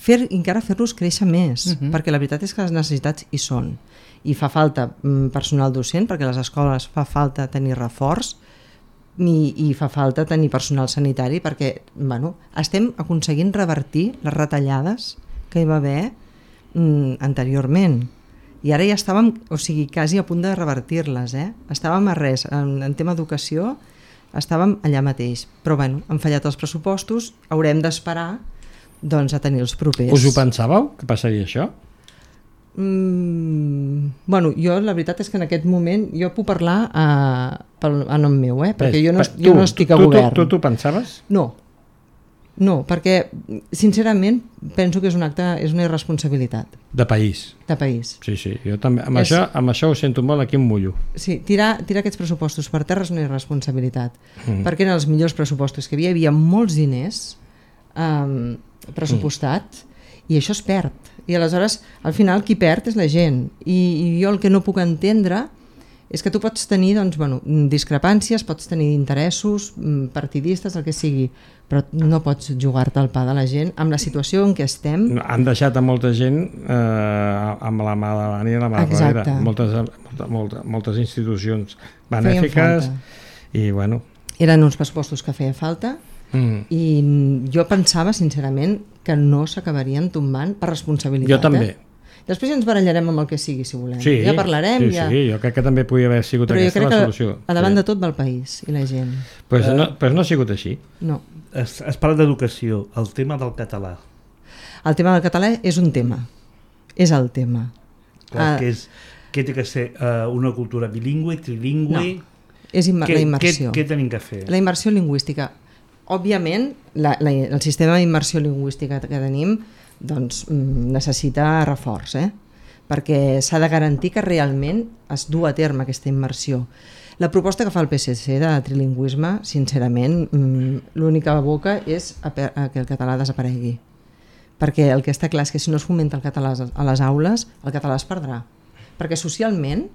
fer, encara fer-los créixer més, uh-huh. perquè la veritat és que les necessitats hi són. I fa falta mm, personal docent, perquè a les escoles fa falta tenir reforç, i, i fa falta tenir personal sanitari, perquè bueno, estem aconseguint revertir les retallades que hi va haver mm, anteriorment. I ara ja estàvem, o sigui, quasi a punt de revertir-les, eh? Estàvem a res, en, en tema educació estàvem allà mateix, però bueno, han fallat els pressupostos, haurem d'esperar doncs a tenir els propers. Us ho pensàveu, que passaria això? Mm, bueno, jo la veritat és que en aquest moment jo puc parlar a, a nom meu, eh? Perquè jo no, tu, jo no estic a tu, govern. Tu, tu, tu pensaves? No, no, perquè sincerament penso que és un acte, és una irresponsabilitat. De país. De país. Sí, sí, jo també, amb, És... això, amb això ho sento molt, aquí em mullo. Sí, tirar, tirar aquests pressupostos per terra és una irresponsabilitat, Mm. perquè eren els millors pressupostos que hi havia, hi havia molts diners um, pressupostat i això es perd. I aleshores, al final, qui perd és la gent. I, i jo el que no puc entendre és que tu pots tenir doncs, bueno, discrepàncies, pots tenir interessos partidistes, el que sigui, però no pots jugar-te al pa de la gent amb la situació en què estem. Han deixat a molta gent eh, amb la mà davant i la mà darrere. Moltes, molta, molta, moltes institucions benèfiques i bueno... Eren uns pressupostos que feia falta mm. i jo pensava sincerament que no s'acabarien tombant per responsabilitat. Jo també. Eh? Després ja ens barallarem amb el que sigui, si volem. Sí, ja parlarem. Sí, ja... sí, jo crec que també podia haver sigut però aquesta la solució. Però jo crec que a davant sí. de tot va el país i la gent. Pues no, pues no ha sigut així. No. Es, es parla d'educació, el tema del català. El tema del català és un tema. És el tema. Clar, ah, que, és, que té que ser uh, una cultura bilingüe, trilingüe... No. És im què, la immersió. Què, què tenim que fer? La immersió lingüística. Òbviament, la, la, el sistema d'immersió lingüística que tenim doncs, necessita reforç, eh? Perquè s'ha de garantir que realment es du a terme aquesta immersió. La proposta que fa el P S C de trilingüisme, sincerament, l'única boca és a, a que el català desaparegui. Perquè el que està clar és que si no es fomenta el català a les aules, el català es perdrà. Perquè socialment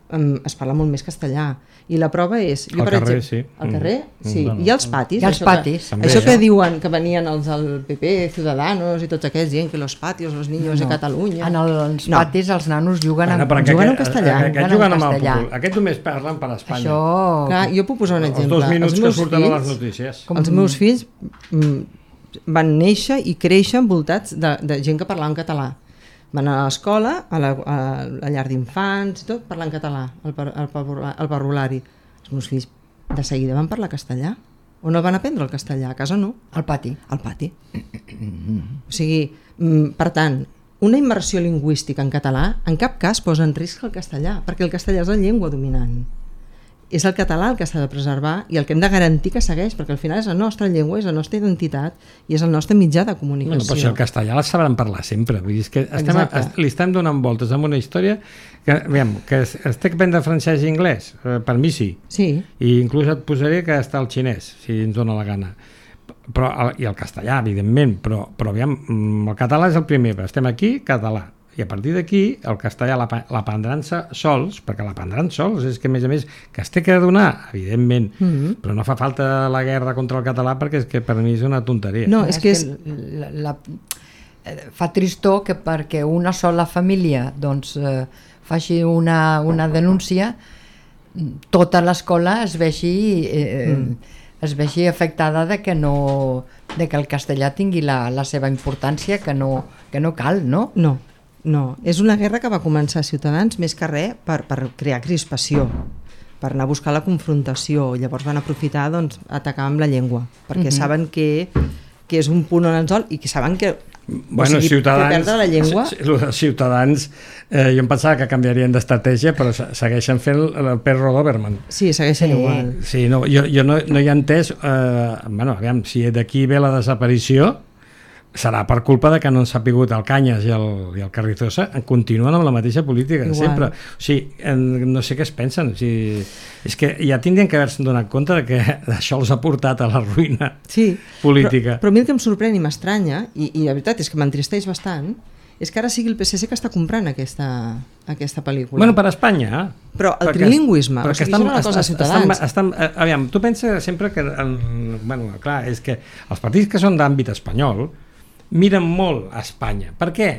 es parla molt més castellà i la prova és jo, al per carrer, exemple, sí. al carrer, sí. Mm. I als patis, I als això, patis. que, això que diuen que venien els del P P, Ciudadanos i tots aquests dient que los patios, los niños no. de Catalunya. En els no. patis els nanos juguen, bueno, en, juguen en castellà. Aquest, aquest juguen amb el castellà. Aquest només parlen per Espanya. Això... Clar, jo puc posar un exemple. Els dos minuts els que surten fills, a les notícies. Com... Els meus fills van néixer i créixer envoltats de, de gent que parlava en català. Van a l'escola, a, la, a la llar d'infants, tot, parlant català, el, el, el parvulari. Els meus fills de seguida van parlar castellà. O no van aprendre el castellà? A casa no. Al pati. Al pati. O sigui, per tant, una immersió lingüística en català en cap cas posa en risc el castellà, perquè el castellà és la llengua dominant. És el català el que s'ha de preservar i el que hem de garantir que segueix, perquè al final és la nostra llengua, és la nostra identitat i és el nostre mitjà de comunicació. Bueno, però si el castellà la sabran parlar sempre, vull dir, és que estem, est, li estem donant voltes amb una història que, veiem, que es, es té que prendre francès i anglès, eh, per mi sí. Sí. I inclús et posaré que està el xinès, si ens dona la gana. Però, i el castellà, evidentment, però, però aviam, el català és el primer, però estem aquí, català. I a partir d'aquí el castellà l'aprendran sols, perquè l'aprendran sols, és que a més a més que es té que donar, evidentment, mm-hmm. però no fa falta la guerra contra el català perquè és que per mi és una tonteria. No, és, és que és... La, la, fa tristor que perquè una sola família doncs, eh, faci una, una denúncia, tota l'escola es vegi... Eh, mm. es vegi afectada de que no de que el castellà tingui la, la seva importància, que no, que no cal, no? No. No, és una guerra que va començar a Ciutadans més que res per, per crear crispació, per anar a buscar la confrontació. Llavors van aprofitar doncs, atacar amb la llengua, perquè uh-huh. saben que, que és un punt on ens vol i que saben que, bueno, o sigui, Ciutadans, que perdre la llengua... Ciutadans, eh, jo em pensava que canviarien d'estratègia, però segueixen fent el, el perro Doberman. Sí, segueixen sí. igual. Sí, no, jo, jo no, no hi he entès, eh, bueno, aviam, si d'aquí ve la desaparició, serà per culpa de que no han sapigut el Canyes i el, i el Carrizosa continuen amb la mateixa política Igual. sempre, o sigui, no sé què es pensen, o sigui, és que ja tindrien que haver-se donat compte de que això els ha portat a la ruïna sí, política. Però, però a mi el que em sorprèn i m'estranya, i, i la veritat és que m'entristeix bastant, és que ara sigui el P S C que està comprant aquesta, aquesta pel·lícula. Bueno, per Espanya. Però el perquè, trilingüisme, o sigui, estan, és una cosa de Ciutadans. Estan, estan, aviam, tu penses sempre que, en, bueno, clar, és que els partits que són d'àmbit espanyol miren molt a Espanya. Per què?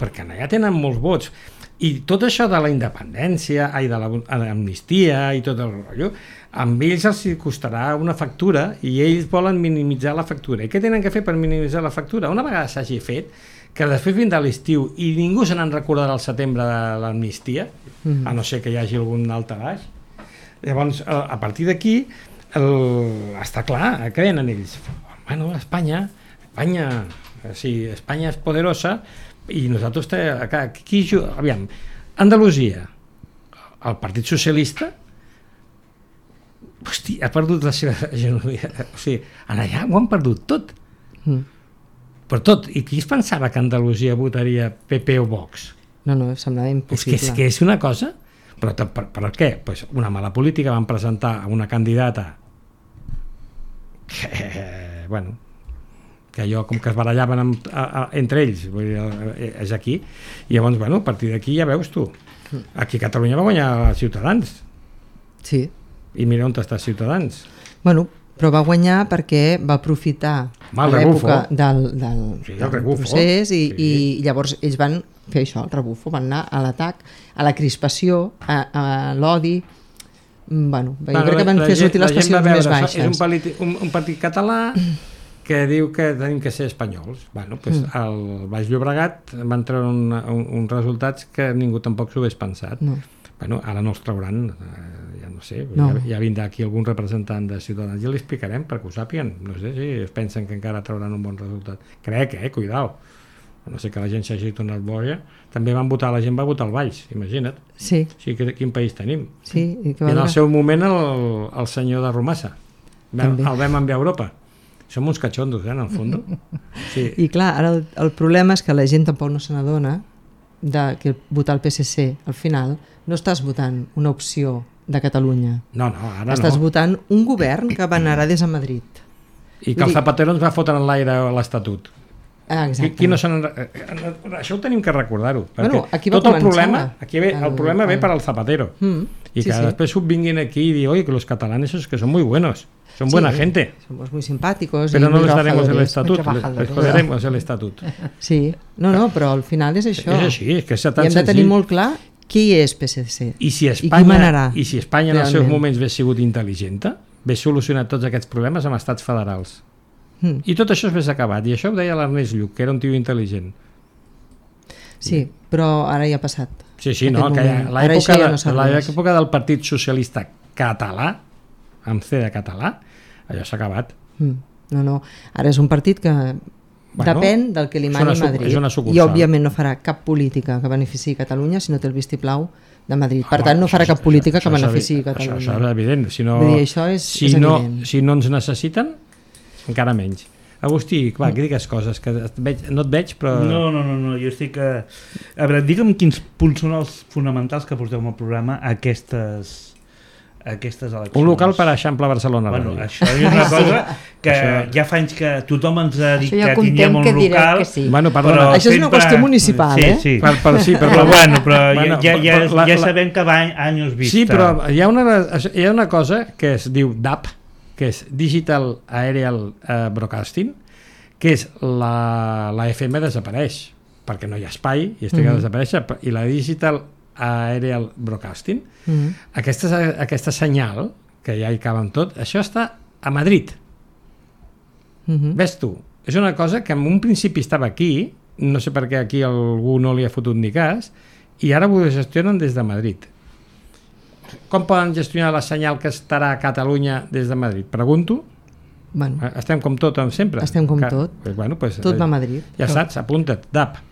Perquè allà tenen molts vots. I tot això de la independència, ai, de l'amnistia i tot el rotllo, amb ells els costarà una factura i ells volen minimitzar la factura. I què tenen que fer per minimitzar la factura? Una vegada s'hagi fet, que després vindrà l'estiu i ningú se n'en recordarà al setembre de l'amnistia, mm. a no ser que hi hagi algun altre baix. Llavors, a partir d'aquí, està clar, què venen ells? Bueno, Espanya, Espanya, sí, Espanya és poderosa i nosaltres, aquí, aviam, Andalusia, el Partit Socialista, hosti, ha perdut la seva hegemonia, o sigui, allà ho han perdut tot. Mm. Per tot, i qui es pensava que Andalusia votaria P P o Vox? No, no, semblava impossible. És que és, que és una cosa, però per, per què? Pues una mala política, van presentar a una candidata que, bueno, que allò com que es barallaven amb, a, a, entre ells, vull dir, és aquí, i llavors, bueno, a partir d'aquí ja veus tu, aquí a Catalunya va guanyar Ciutadans. Sí. I mira on està Ciutadans. Bueno, però va guanyar perquè va aprofitar Mal, a l'època del, del, sí, del rebufo. procés i, Sí. i llavors ells van fer això, el rebufo, van anar a l'atac, a la crispació, a, a l'odi. Bueno, jo bueno, crec que van la, fer sortir la les passions veure, més baixes. És un, politi, un, un partit català que diu que tenim que ser espanyols. Bueno, pues mm. al Baix Llobregat van treure un, un, uns resultats que ningú tampoc s'ho hagués pensat. No. Bueno, ara no els trauran, eh, ja no sé, no. Ja, ja vindrà aquí algun representant de Ciutadans i ja li explicarem perquè ho sàpiguen, no sé si es pensen que encara trauran un bon resultat. Crec, eh, cuidao, no sé que la gent s'hagi tornat boja, també van votar, la gent va votar al Baix, imagina't. Sí. O sigui, que, quin país tenim? Sí, i, que I en el seu moment el, el senyor de Romassa, també. El vam enviar a Europa. Som uns catxondos, eh, en el fons. Sí. I clar, ara el, el problema és que la gent tampoc no se n'adona de que votar el P S C al final no estàs votant una opció de Catalunya. No, no, ara estàs no. votant un govern que venarà des de Madrid. I que el Zapatero ens va fotre en l'aire l'Estatut. Ah, exacte. Qui no se això ho tenim que recordar-ho. Bueno, aquí va tot el començar problema, aquí ve, el, el, problema ve el... per al Zapatero. Mm, y sí, que sí. después vinguin aquí y digan, oye, que los catalanes es que son muy buenos, son sí, buena gente. Somos muy simpáticos. Pero y no muy les daremos el trabajadores. estatut, les joderemos el estatut. Sí, no, no, però al final és això. És així, és que és tan I hem de senzill. tenir molt clar qui és P S C I si i Espanya, qui manarà. I si Espanya en els seus moments hagués sigut intel·ligent, hagués solucionat tots aquests problemes amb estats federals. Mm. I tot això s'hagués acabat. I això ho deia l'Ernest Lluch, que era un tio intel·ligent. Sí, però ara ja ha passat. Sí, sí, no, que l'època ja no de, del Partit Socialista Català, amb C de català, allò s'ha acabat. Mm. No, no, ara és un partit que bueno, depèn del que li mani Madrid i òbviament no farà cap política que beneficiï Catalunya si no té el vistiplau de Madrid. Per ah, tant, no farà cap política això, que beneficiï Catalunya. Això, això és evident. Si no, dir, això és, si, és no, evident. si no ens necessiten, encara menys. Agustí, clar, que digues coses, que et veig, no et veig, però... No, no, no, no, jo estic... A, a veure, digue'm quins punts són els fonamentals que porteu al programa a aquestes, a aquestes eleccions. Un local per a Eixample Barcelona. Bueno, això és una cosa que això... ja fa anys que tothom ens ha dit ja que tinguem un local... Que sí. Bueno, però això és una qüestió municipal, sí, eh? Sí, per, per, sí, per, però bueno, però bueno, ja, ja, per, la, ja sabem que va anys vista. Sí, però hi ha una, hi ha una cosa que es diu D A P, que és Digital Aerial uh, Broadcasting, que és la, la F M desapareix, perquè no hi ha espai i es triga mm-hmm. a desaparèixer, i la Digital Aerial Broadcasting, mm-hmm. aquesta, aquesta senyal, que ja hi caben tot, això està a Madrid. Mm-hmm. Ves tu, és una cosa que en un principi estava aquí, no sé per què aquí algú no li ha fotut ni cas, i ara ho gestionen des de Madrid. Com poden gestionar la senyal que estarà a Catalunya des de Madrid? Pregunto. Bueno, estem com tot sempre. Estem com que, tot. Pues, bueno, pues, tot va a Madrid. Ja tot. Saps, apunta't, D A P.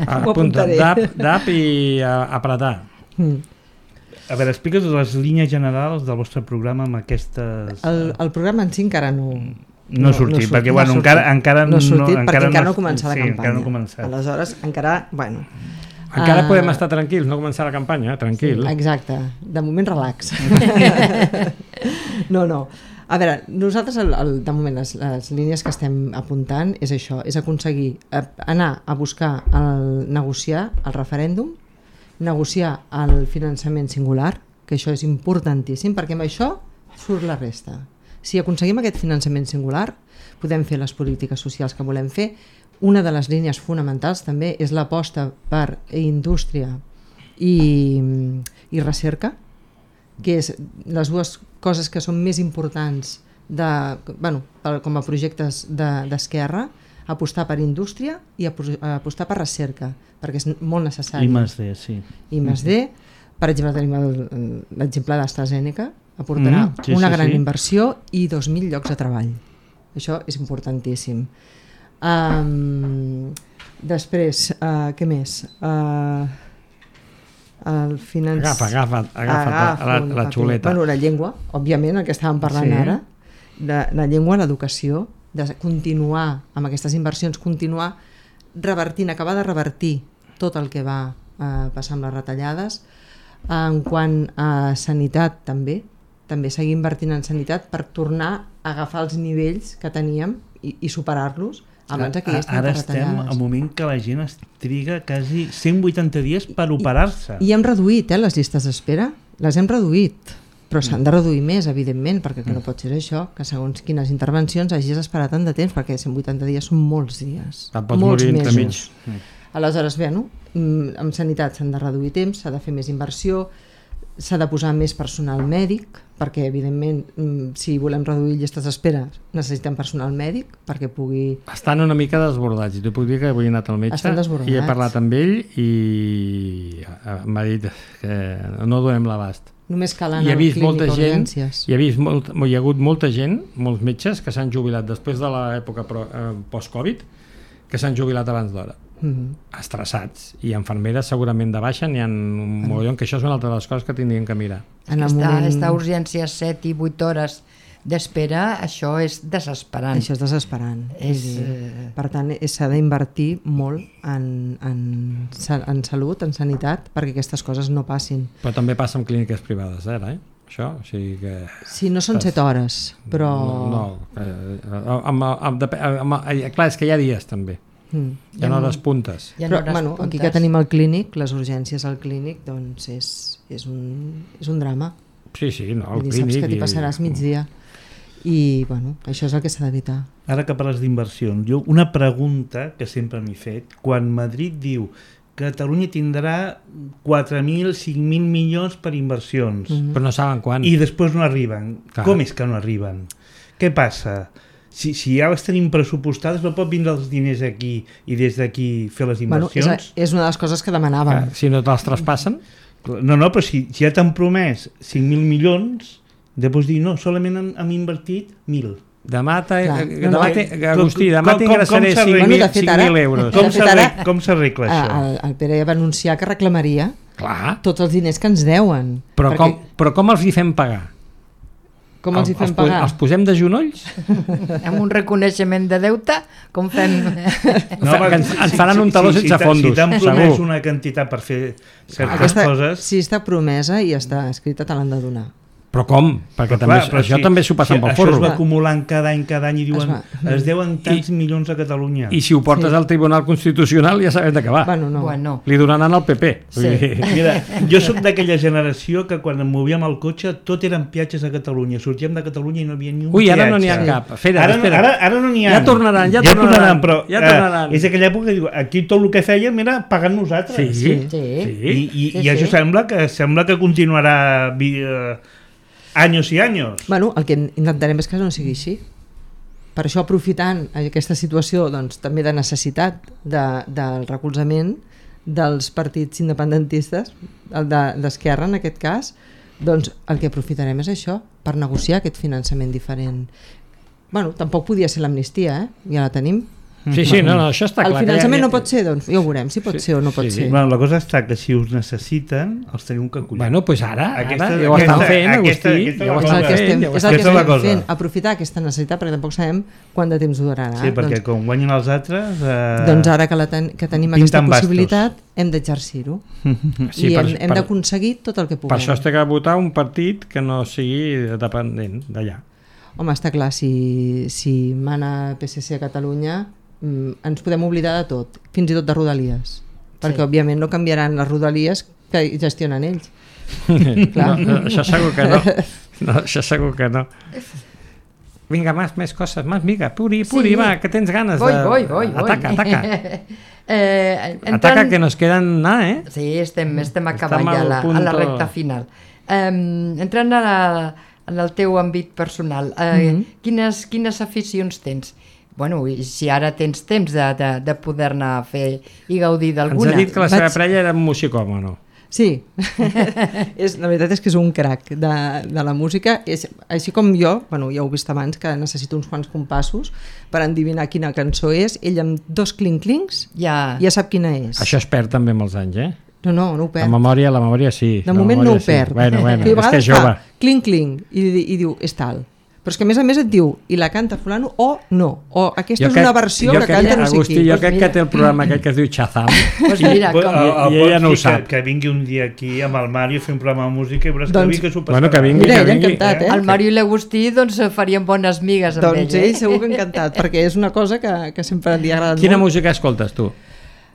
Apunta't, D A P, D A P i a, apretar. Mm. A veure, explica't les línies generals del vostre programa amb aquestes... El, el programa en si encara no, No ha sortit, no perquè no bueno, encara, encara no ha sortit, no, perquè encara no ha no, començat la sí, campanya. Encara no ha començat. Aleshores, encara, bueno... Encara uh, podem estar tranquils, no començar la campanya, eh? Tranquil. Sí, exacte, de moment relax. no, no. A veure, nosaltres el, el, de moment les, les línies que estem apuntant és això, és aconseguir eh, anar a buscar, el, negociar el referèndum, negociar el finançament singular, que això és importantíssim, perquè amb això surt la resta. Si aconseguim aquest finançament singular, podem fer les polítiques socials que volem fer. Una de les línies fonamentals també és l'aposta per indústria i, i recerca, que és les dues coses que són més importants de, bueno, com a projectes d'esquerra, de, apostar per indústria i apostar per recerca, perquè és molt necessari. I més D, sí. I més D, per exemple, tenim l'exemple d'AstraZeneca, aportarà mm, sí, una sí, gran sí. inversió i dos mil llocs de treball. Això és importantíssim. Um, després, uh, què més? Uh, el finanç... Agafa, agafa, agafa agafa la, la, la xuleta. Bueno, la llengua, òbviament, el que estàvem parlant sí. ara, la, la llengua, l'educació, de continuar amb aquestes inversions, continuar revertint, acabar de revertir tot el que va uh, passar amb les retallades. En quant a sanitat també, també seguir invertint en sanitat per tornar a agafar els nivells que teníem i, i superar-los abans que hi estiguin Ara retallades. estem al moment que la gent es triga quasi cent vuitanta dies per operar-se. I, i hem reduït eh, les llistes d'espera, les hem reduït, però s'han de reduir més, evidentment, perquè que no pot ser això, que segons quines intervencions hagis esperat tant de temps, perquè cent vuitanta dies són molts dies, Te'n pots molts morir mesos. mig. Aleshores, bé, no? Amb sanitat s'han de reduir temps, s'ha de fer més inversió, s'ha de posar més personal mèdic, perquè evidentment si volem reduir llistes d'espera necessitem personal mèdic perquè pugui... Estan una mica desbordats, i t'ho puc dir que avui he anat al metge i he parlat amb ell i m'ha dit que no donem l'abast. Només cal anar al clínic a urgències. Hi ha, vist molt, hi ha hagut molta gent, molts metges que s'han jubilat després de l'època post-Covid, que s'han jubilat abans d'hora. Mm-hmm. Estressats, i infermeres segurament de baixa n'hi ha un mogollon, que això és una altra de les coses que tindríem que mirar. En el moment... Estar a urgències set i vuit hores d'espera, això és desesperant. Això és desesperant. És, eh... Per tant, s'ha d'invertir molt en, en, en salut, en sanitat, perquè aquestes coses no passin. Però també passa amb clíniques privades, eh? eh? Això, o sigui que... Sí, no són set hores, però... No, no eh, amb, amb, amb, amb, clar, és que hi ha dies també. Mm. Hi ha hores puntes. Hi ha Però, bueno, puntes. Aquí que tenim el clínic, les urgències al clínic, doncs és, és, un, és un drama. Sí, sí, no, el dir, clínic... Saps que t'hi passaràs migdia. I, bueno, això és el que s'ha d'evitar. Ara que parles d'inversions, jo una pregunta que sempre m'he fet, quan Madrid diu que Catalunya tindrà quatre mil, cinc mil milions per inversions. Mm-hmm. Però no saben quan. I després no arriben. Clar. Com és que no arriben? Què passa? Si, si ja les tenim pressupostades, no pot vindre els diners aquí i des d'aquí fer les inversions? Bueno, és, és una de les coses que demanàvem. Clar, si no te'ls traspassen? No, no, però si, si ja t'han promès cinc mil milions, després dir, no, solament hem, hem invertit mil. Demà, ta, Clar, demà no, te, Agustí, demà t'ingressaré cinc mil euros. Com s'arregla això? El, el Pere ja va anunciar que reclamaria Clar. tots els diners que ens deuen. Però, perquè... com, però com els hi fem pagar? Com els hi fem els, pagar? Els posem de genolls? Amb un reconeixement de deute? Com fem? No, que ens, ens faran un taló si, sense si, fondos. Si t'han promès una quantitat per fer certes Aquesta, coses... Si està promesa i està escrita, te l'han de donar. Però com? Perquè però també, clar, però això si, també s'ho passen si pel forro. Això es va acumulant cada any, cada any i diuen es, es deuen tants I, milions a Catalunya. I si ho portes sí. al Tribunal Constitucional ja sabem de què va. Bueno, no. Bueno. Li donaran al P P. Sí. Mira, jo sóc d'aquella generació que quan em movíem al cotxe tot eren peatges a Catalunya. Sortíem de Catalunya i no hi havia ni un Ui, peatge. Ui, ara no n'hi ha cap. Espera, ara, espera. Ara, ara no n'hi ha. Ja tornaran, ja, ja tornaran. tornaran, però ja tornaran. Eh, és aquella època que diu, aquí tot el que fèiem era pagant nosaltres. Sí, sí. sí. I, i, sí, i això sí. sembla que sembla que continuarà... Eh, anys i anys. Bueno, el que intentarem és que no sigui així. Per això, aprofitant aquesta situació doncs, també de necessitat de, del recolzament dels partits independentistes, el d'Esquerra de, en aquest cas, doncs el que aprofitarem és això, per negociar aquest finançament diferent. Bueno, tampoc podia ser l'amnistia, eh? Ja la tenim. Sí, sí, no, no, això està El clar. finançament ja, no pot ser, doncs ja ho veurem, si pot Sí, ser o no pot sí, ser. Bueno, la cosa està que si us necessiten, els teniu que acollir. Bueno, doncs pues ara, Aquesta- ara ja ho estan aquesta- fent, aquesta- Agustí, aquesta ja ho és És estan el que fent. estem, ja ho és estan el que Aquesta és la estem cosa. fent, aprofitar aquesta necessitat, perquè tampoc sabem quant de temps durarà. Sí, perquè doncs, com guanyen els altres... Eh, doncs ara que, la ten, que tenim pinten aquesta bastos. possibilitat, hem d'exercir-ho. Sí, I per- hem, hem per- d'aconseguir tot el que puguem. Per això es té que votar un partit que no sigui dependent d'allà. Home, està clar, si, si mana P S C a Catalunya, mm, ens podem oblidar de tot, fins i tot de Rodalies, perquè Sí. òbviament no canviaran les Rodalies que gestionen ells. No, no, això segur que no. No, això segur que no. Vinga, más, més coses, más, vinga, Puri, Puri, Sí. va, que tens ganes Voy, de... voy, voy, voy. Ataca, ataca. eh, entrant... Ataca, que nos queden nada, eh? Sí, estem, estem acabant Estem ja a al la, a la punto- recta final. Um, entrant a la, en el teu àmbit personal, uh, Mhm. quines, quines aficions tens? Bueno, i si ara tens temps de, de, de poder-ne fer i gaudir Ens d'alguna. ha dit que la seva Vaig- parella era un musicòmono. Sí, és, la veritat és que és un crac de, de la música, és, així com jo, bueno, ja ho he vist abans, que necessito uns quants compassos per endivinar quina cançó és, ell amb dos clinc-clincs Ja, ja sap quina és. Això es perd també amb els anys, eh? No, no, no ho La perd. memòria, la memòria sí. De la moment no memòria ho perd. Bueno, bueno, I a és que vegades és jove. fa clinc-clinc i, i diu, és tal. Però és que a més a més et diu, i la canta fulano o no, o aquesta Jo és crec- una versió jo que crec- canta no sé Agustí, qui. jo Pues crec mira. que té el programa aquell que es diu Shazam. pues mira, Pues, com... el- el I ella pot no ho sí sap. Que, que vingui un dia aquí amb el Mario a fer un programa de música i veuràs Doncs- que vi que s'ho passarà. Bueno, que vingui, Mira, que ell vingui. encantat, eh? El Mario i l'Agustí doncs, farien bones migues amb Doncs ell. ell Eh? segur que encantat, perquè és una cosa que, que sempre li ha agradat Quina molt. música escoltes tu?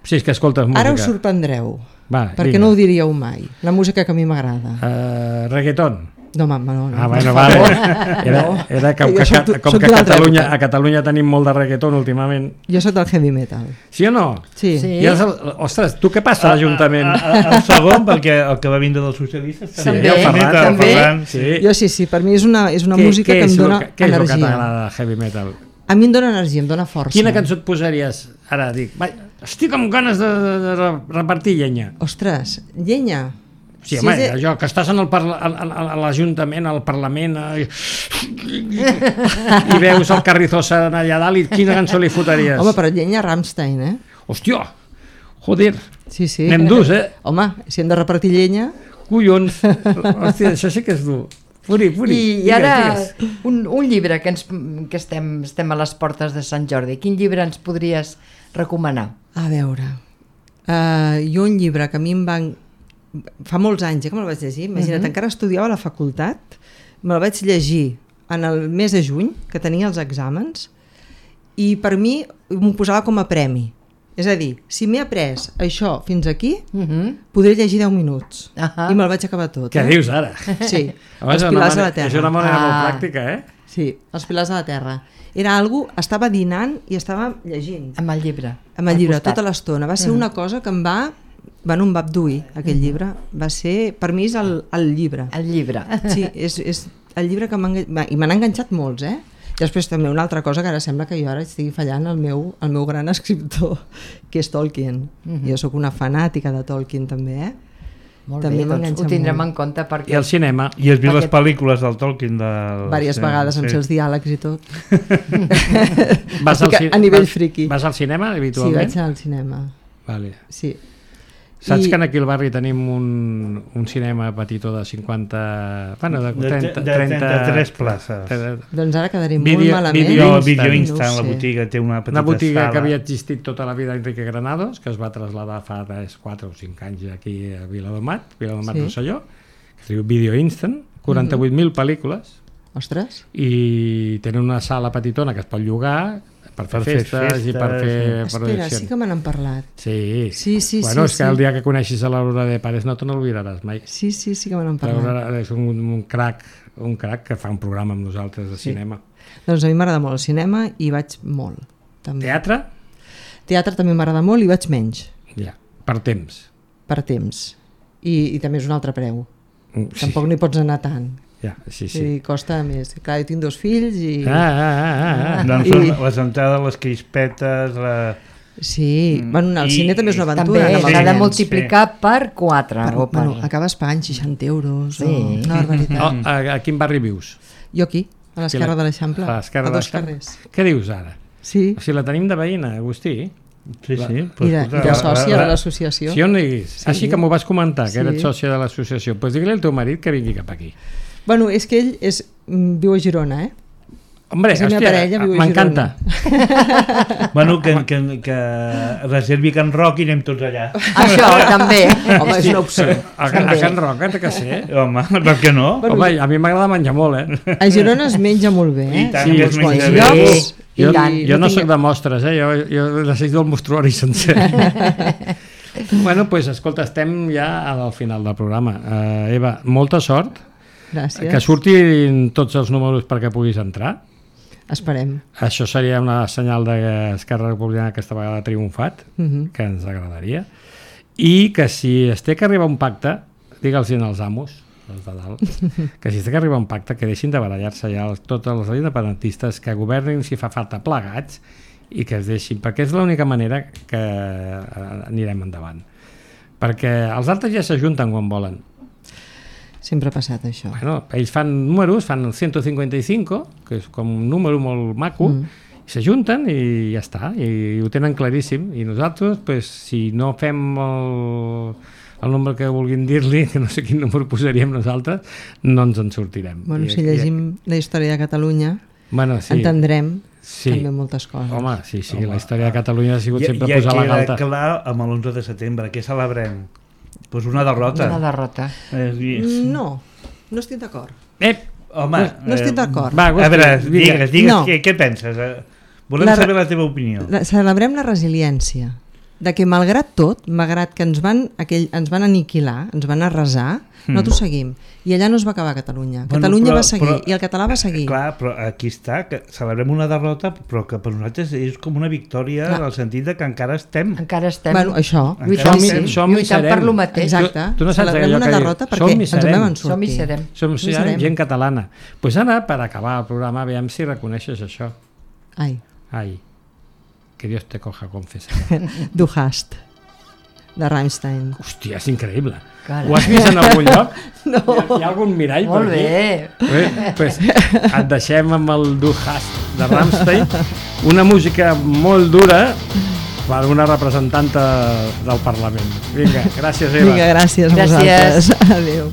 Si és que escoltes música. Ara us sorprendreu, Va, perquè vinga. no ho diríeu mai. La música que a mi m'agrada. Uh, reggaeton. No, home, no, no. Ah, per bueno, favor. vale. Era, era com Jo que, soc- que, com soc que a d'una altra Catalunya, època. a Catalunya tenim molt de reggaeton últimament. Jo soc del heavy metal. Sí o no? Sí. Sí. I és el, ostres, tu què passa a l'Ajuntament? A, a, el segon, perquè el que va vindre dels socialistes... Sí, També, el Ferran, el també. Ferran, sí. Jo sí, sí, per mi és una, és una Què- música què que és em lo dona que- Què és el que energia. t'agrada de heavy metal? A mi em dona energia, em dona força. Quina cançó et posaries? Ara dic, vai, estic amb ganes de, de, de repartir llenya. Ostres, llenya. Sí, Si home, és de- allò que estàs en el parla, a, a, a l'Ajuntament, al Parlament, eh, i veus el Carrizosa allà dalt, i quina cançó li fotaries? Home, però llenya Rammstein, eh? Hòstia, joder, Sí, sí. anem durs, eh? Home, si hem de repartir llenya... Collons, hòstia, això sí que és dur. Puri, puri, I, i digues, ara, digues. un, un llibre que, ens, que estem, estem a les portes de Sant Jordi. Quin llibre ens podries recomanar? A veure, uh, jo un llibre que a mi em van... Fa molts anys, eh, que me'l vaig llegir. Imagina't, uh -huh. encara estudiava a la facultat, me'l vaig llegir en el mes de juny, que tenia els exàmens, i per mi m'ho posava com a premi. És a dir, si m'he après això fins aquí, Uh -huh. podré llegir deu minuts. Ahà. I me'l vaig acabar tot. Què eh? dius ara? Sí, Home, els és una pilars de manera- la terra. És una manera Ah. molt pràctica, eh? Sí, els pilars de la terra. Era algo, estava dinant i estava llegint. Amb el llibre. Amb el al llibre, costat. tota l'estona. Va ser una cosa que em va... Bueno, em va abduir, aquell llibre. Va ser, per mi és el, el llibre. El llibre. Sí, és, és el llibre que m'ha engan- i m'han enganxat molts, eh? I després també una altra cosa que ara sembla que jo ara estigui fallant el meu, el meu gran escriptor, que és Tolkien. Mhm. Jo sóc una fanàtica de Tolkien també, eh? Molt També bé, doncs m'enganxa ho tindrem molt. en compte perquè... I el cinema. I has vist les Aquest- pel·lícules del Tolkien? Del... Vàries vegades amb sí. els diàlegs i tot. Vas al, Estic ci- a nivell vas- friki. Vas al cinema Sí, habitualment? vaig anar al cinema. Vale. Sí. Saps I- que aquí al barri tenim un, un cinema petitó de cinquanta... Bueno, de De, trenta... de, de trenta-tres places. trenta- Doncs ara quedaré Vídeo- molt malament. vídeo No, Instant. Video No Instant, ho la sé. botiga té una petita Una botiga sala. que havia existit tota la vida a Enrique Granados, que es va traslladar fa quatre o cinc anys aquí a Viladomat, Viladomat Sí. Rosselló, que es diu Video Instant, quaranta-vuit mil pel·lícules, Ostres, i tenen una sala petitona que es pot llogar per fer Per fer festes, i per festes, fer espera, sí projeccions. que me n'han parlat. Sí, Sí, sí, bueno, sí, és que sí. el dia que coneixis a l'Aurora de Pares no te n'oblidaràs mai. Sí, sí, sí que me n'han parlat. L'Aurora és un, un crac, un crac que fa un programa amb nosaltres de cinema. Doncs a mi m'agrada molt el cinema i vaig molt. També. Teatre? Teatre també m'agrada molt i vaig menys, Ja, per temps. per temps. I, i també és un altre preu. Mm, sí. Tampoc n'hi pots anar tant. Ja, sí, Sí. sí. I costa més. Clar, jo tinc dos fills i... Ah, ah, ah, ah. Doncs I- són les entrades, les crispetes... La... Sí, bueno, anar al I- cine també és una També aventura. anar amb els s'ha de nens. multiplicar per quatre. Per, o per... bueno, acabes pagant seixanta euros Sí. o una barbaritat. Oh, a, a quin barri vius? Jo aquí, a l'esquerra Aquí, de l'Eixample, a l'esquerra a de dos l'Eixample. carrers. Què dius ara? Sí. O sigui, la tenim de veïna, Agustí. Sí, sí. I de, i de sòcia de l'associació. Si on diguis? Sí. Així que m'ho vas comentar, que Sí. eres sòcia de l'associació. Doncs pues digue-li al teu marit que vingui cap aquí. Bueno, és que ell és, mm, viu a Girona, eh? Hombre, És la meva hòstia, parella, viu a m'encanta. Bueno, que, que, que reservi Can Roc i anem tots allà. Això també. Home, és una opció. A, a Can Roc, té que ser. Home, per què no? Bueno, Home, a mi m'agrada menjar molt, eh? A Girona es menja molt bé, eh? I tant Sí, que uns es Bons menja quants bé. llocs. Jo, I jo no tinc- soc de mostres, eh? Jo, jo necessito el mostruari sencer. Bueno, doncs, pues, escolta, estem ja al final del programa. Uh, Eva, molta sort. Gràcies. Que surtin tots els números perquè puguis entrar. Esperem. Això seria una senyal d'Esquerra Republicana que aquesta vegada ha triomfat, Mhm. que ens agradaria. I que si es té que arribar a un pacte, digue'ls als amos, els de dalt, que si es té que arribar a un pacte, que deixin de barallar-se ja els, tots els independentistes, que governin si fa falta plegats i que es deixin, perquè és l'única manera que eh, anirem endavant. Perquè els altres ja s'ajunten quan volen. Sempre ha passat això. Bueno, ells fan números, fan el ciento cincuenta y cinco, que és com un número molt maco, mm. i s'ajunten i ja està, i ho tenen claríssim. I nosaltres, pues, si no fem el, el nombre que vulguin dir-li, que no sé quin número posaríem nosaltres, no ens en sortirem. Bueno, I, si llegim la història de Catalunya, bueno, sí. entendrem Sí. també moltes coses. Home, sí, sí, Home, la història de Catalunya ha sigut Ja, sempre ja posar la queda galta. clar amb l'onze de setembre. Què celebrem? Pues una derrota. Una derrota. És dir, Mm, No, no estic d'acord. Eh, home, No estic d'acord. va, a veure, Agustí, vinga. digues, digues No. què, què penses? Eh, Volem La- saber la teva opinió. La, celebrem la resiliència, de que malgrat tot, malgrat que ens van, aquell, ens van aniquilar, ens van arrasar, mm. nosaltres seguim. I allà no es va acabar Catalunya. Bueno, Catalunya però- va seguir però- i el català va seguir. Clar, però aquí està, que celebrem una derrota, però que per nosaltres és com una victòria Clar. en el sentit de que encara estem. Encara estem Bueno, això, lluitant, Som-hi- sí, som-hi lluitant per serem. lo mateix. exacte. Tu- tu no saps Celebrem allò una que diu, derrota perquè som i ens en serem. vam Som i sortir. serem. Som Som i sí, serem. gent catalana. Doncs pues ara, per acabar el programa, veiem si reconeixes això. Ai, Ai, que Dios te coja confesar. du hast, de Rammstein. Hòstia, és increïble. Carai. Ho has vist en algun lloc? No. Hi ha, hi ha algun mirall Molt per aquí? bé. Bé, pues, et deixem amb el Du hast de Rammstein, una música molt dura per una representanta del Parlament. Vinga, gràcies, Eva. Vinga, gràcies a Gràcies. vosaltres. Adéu.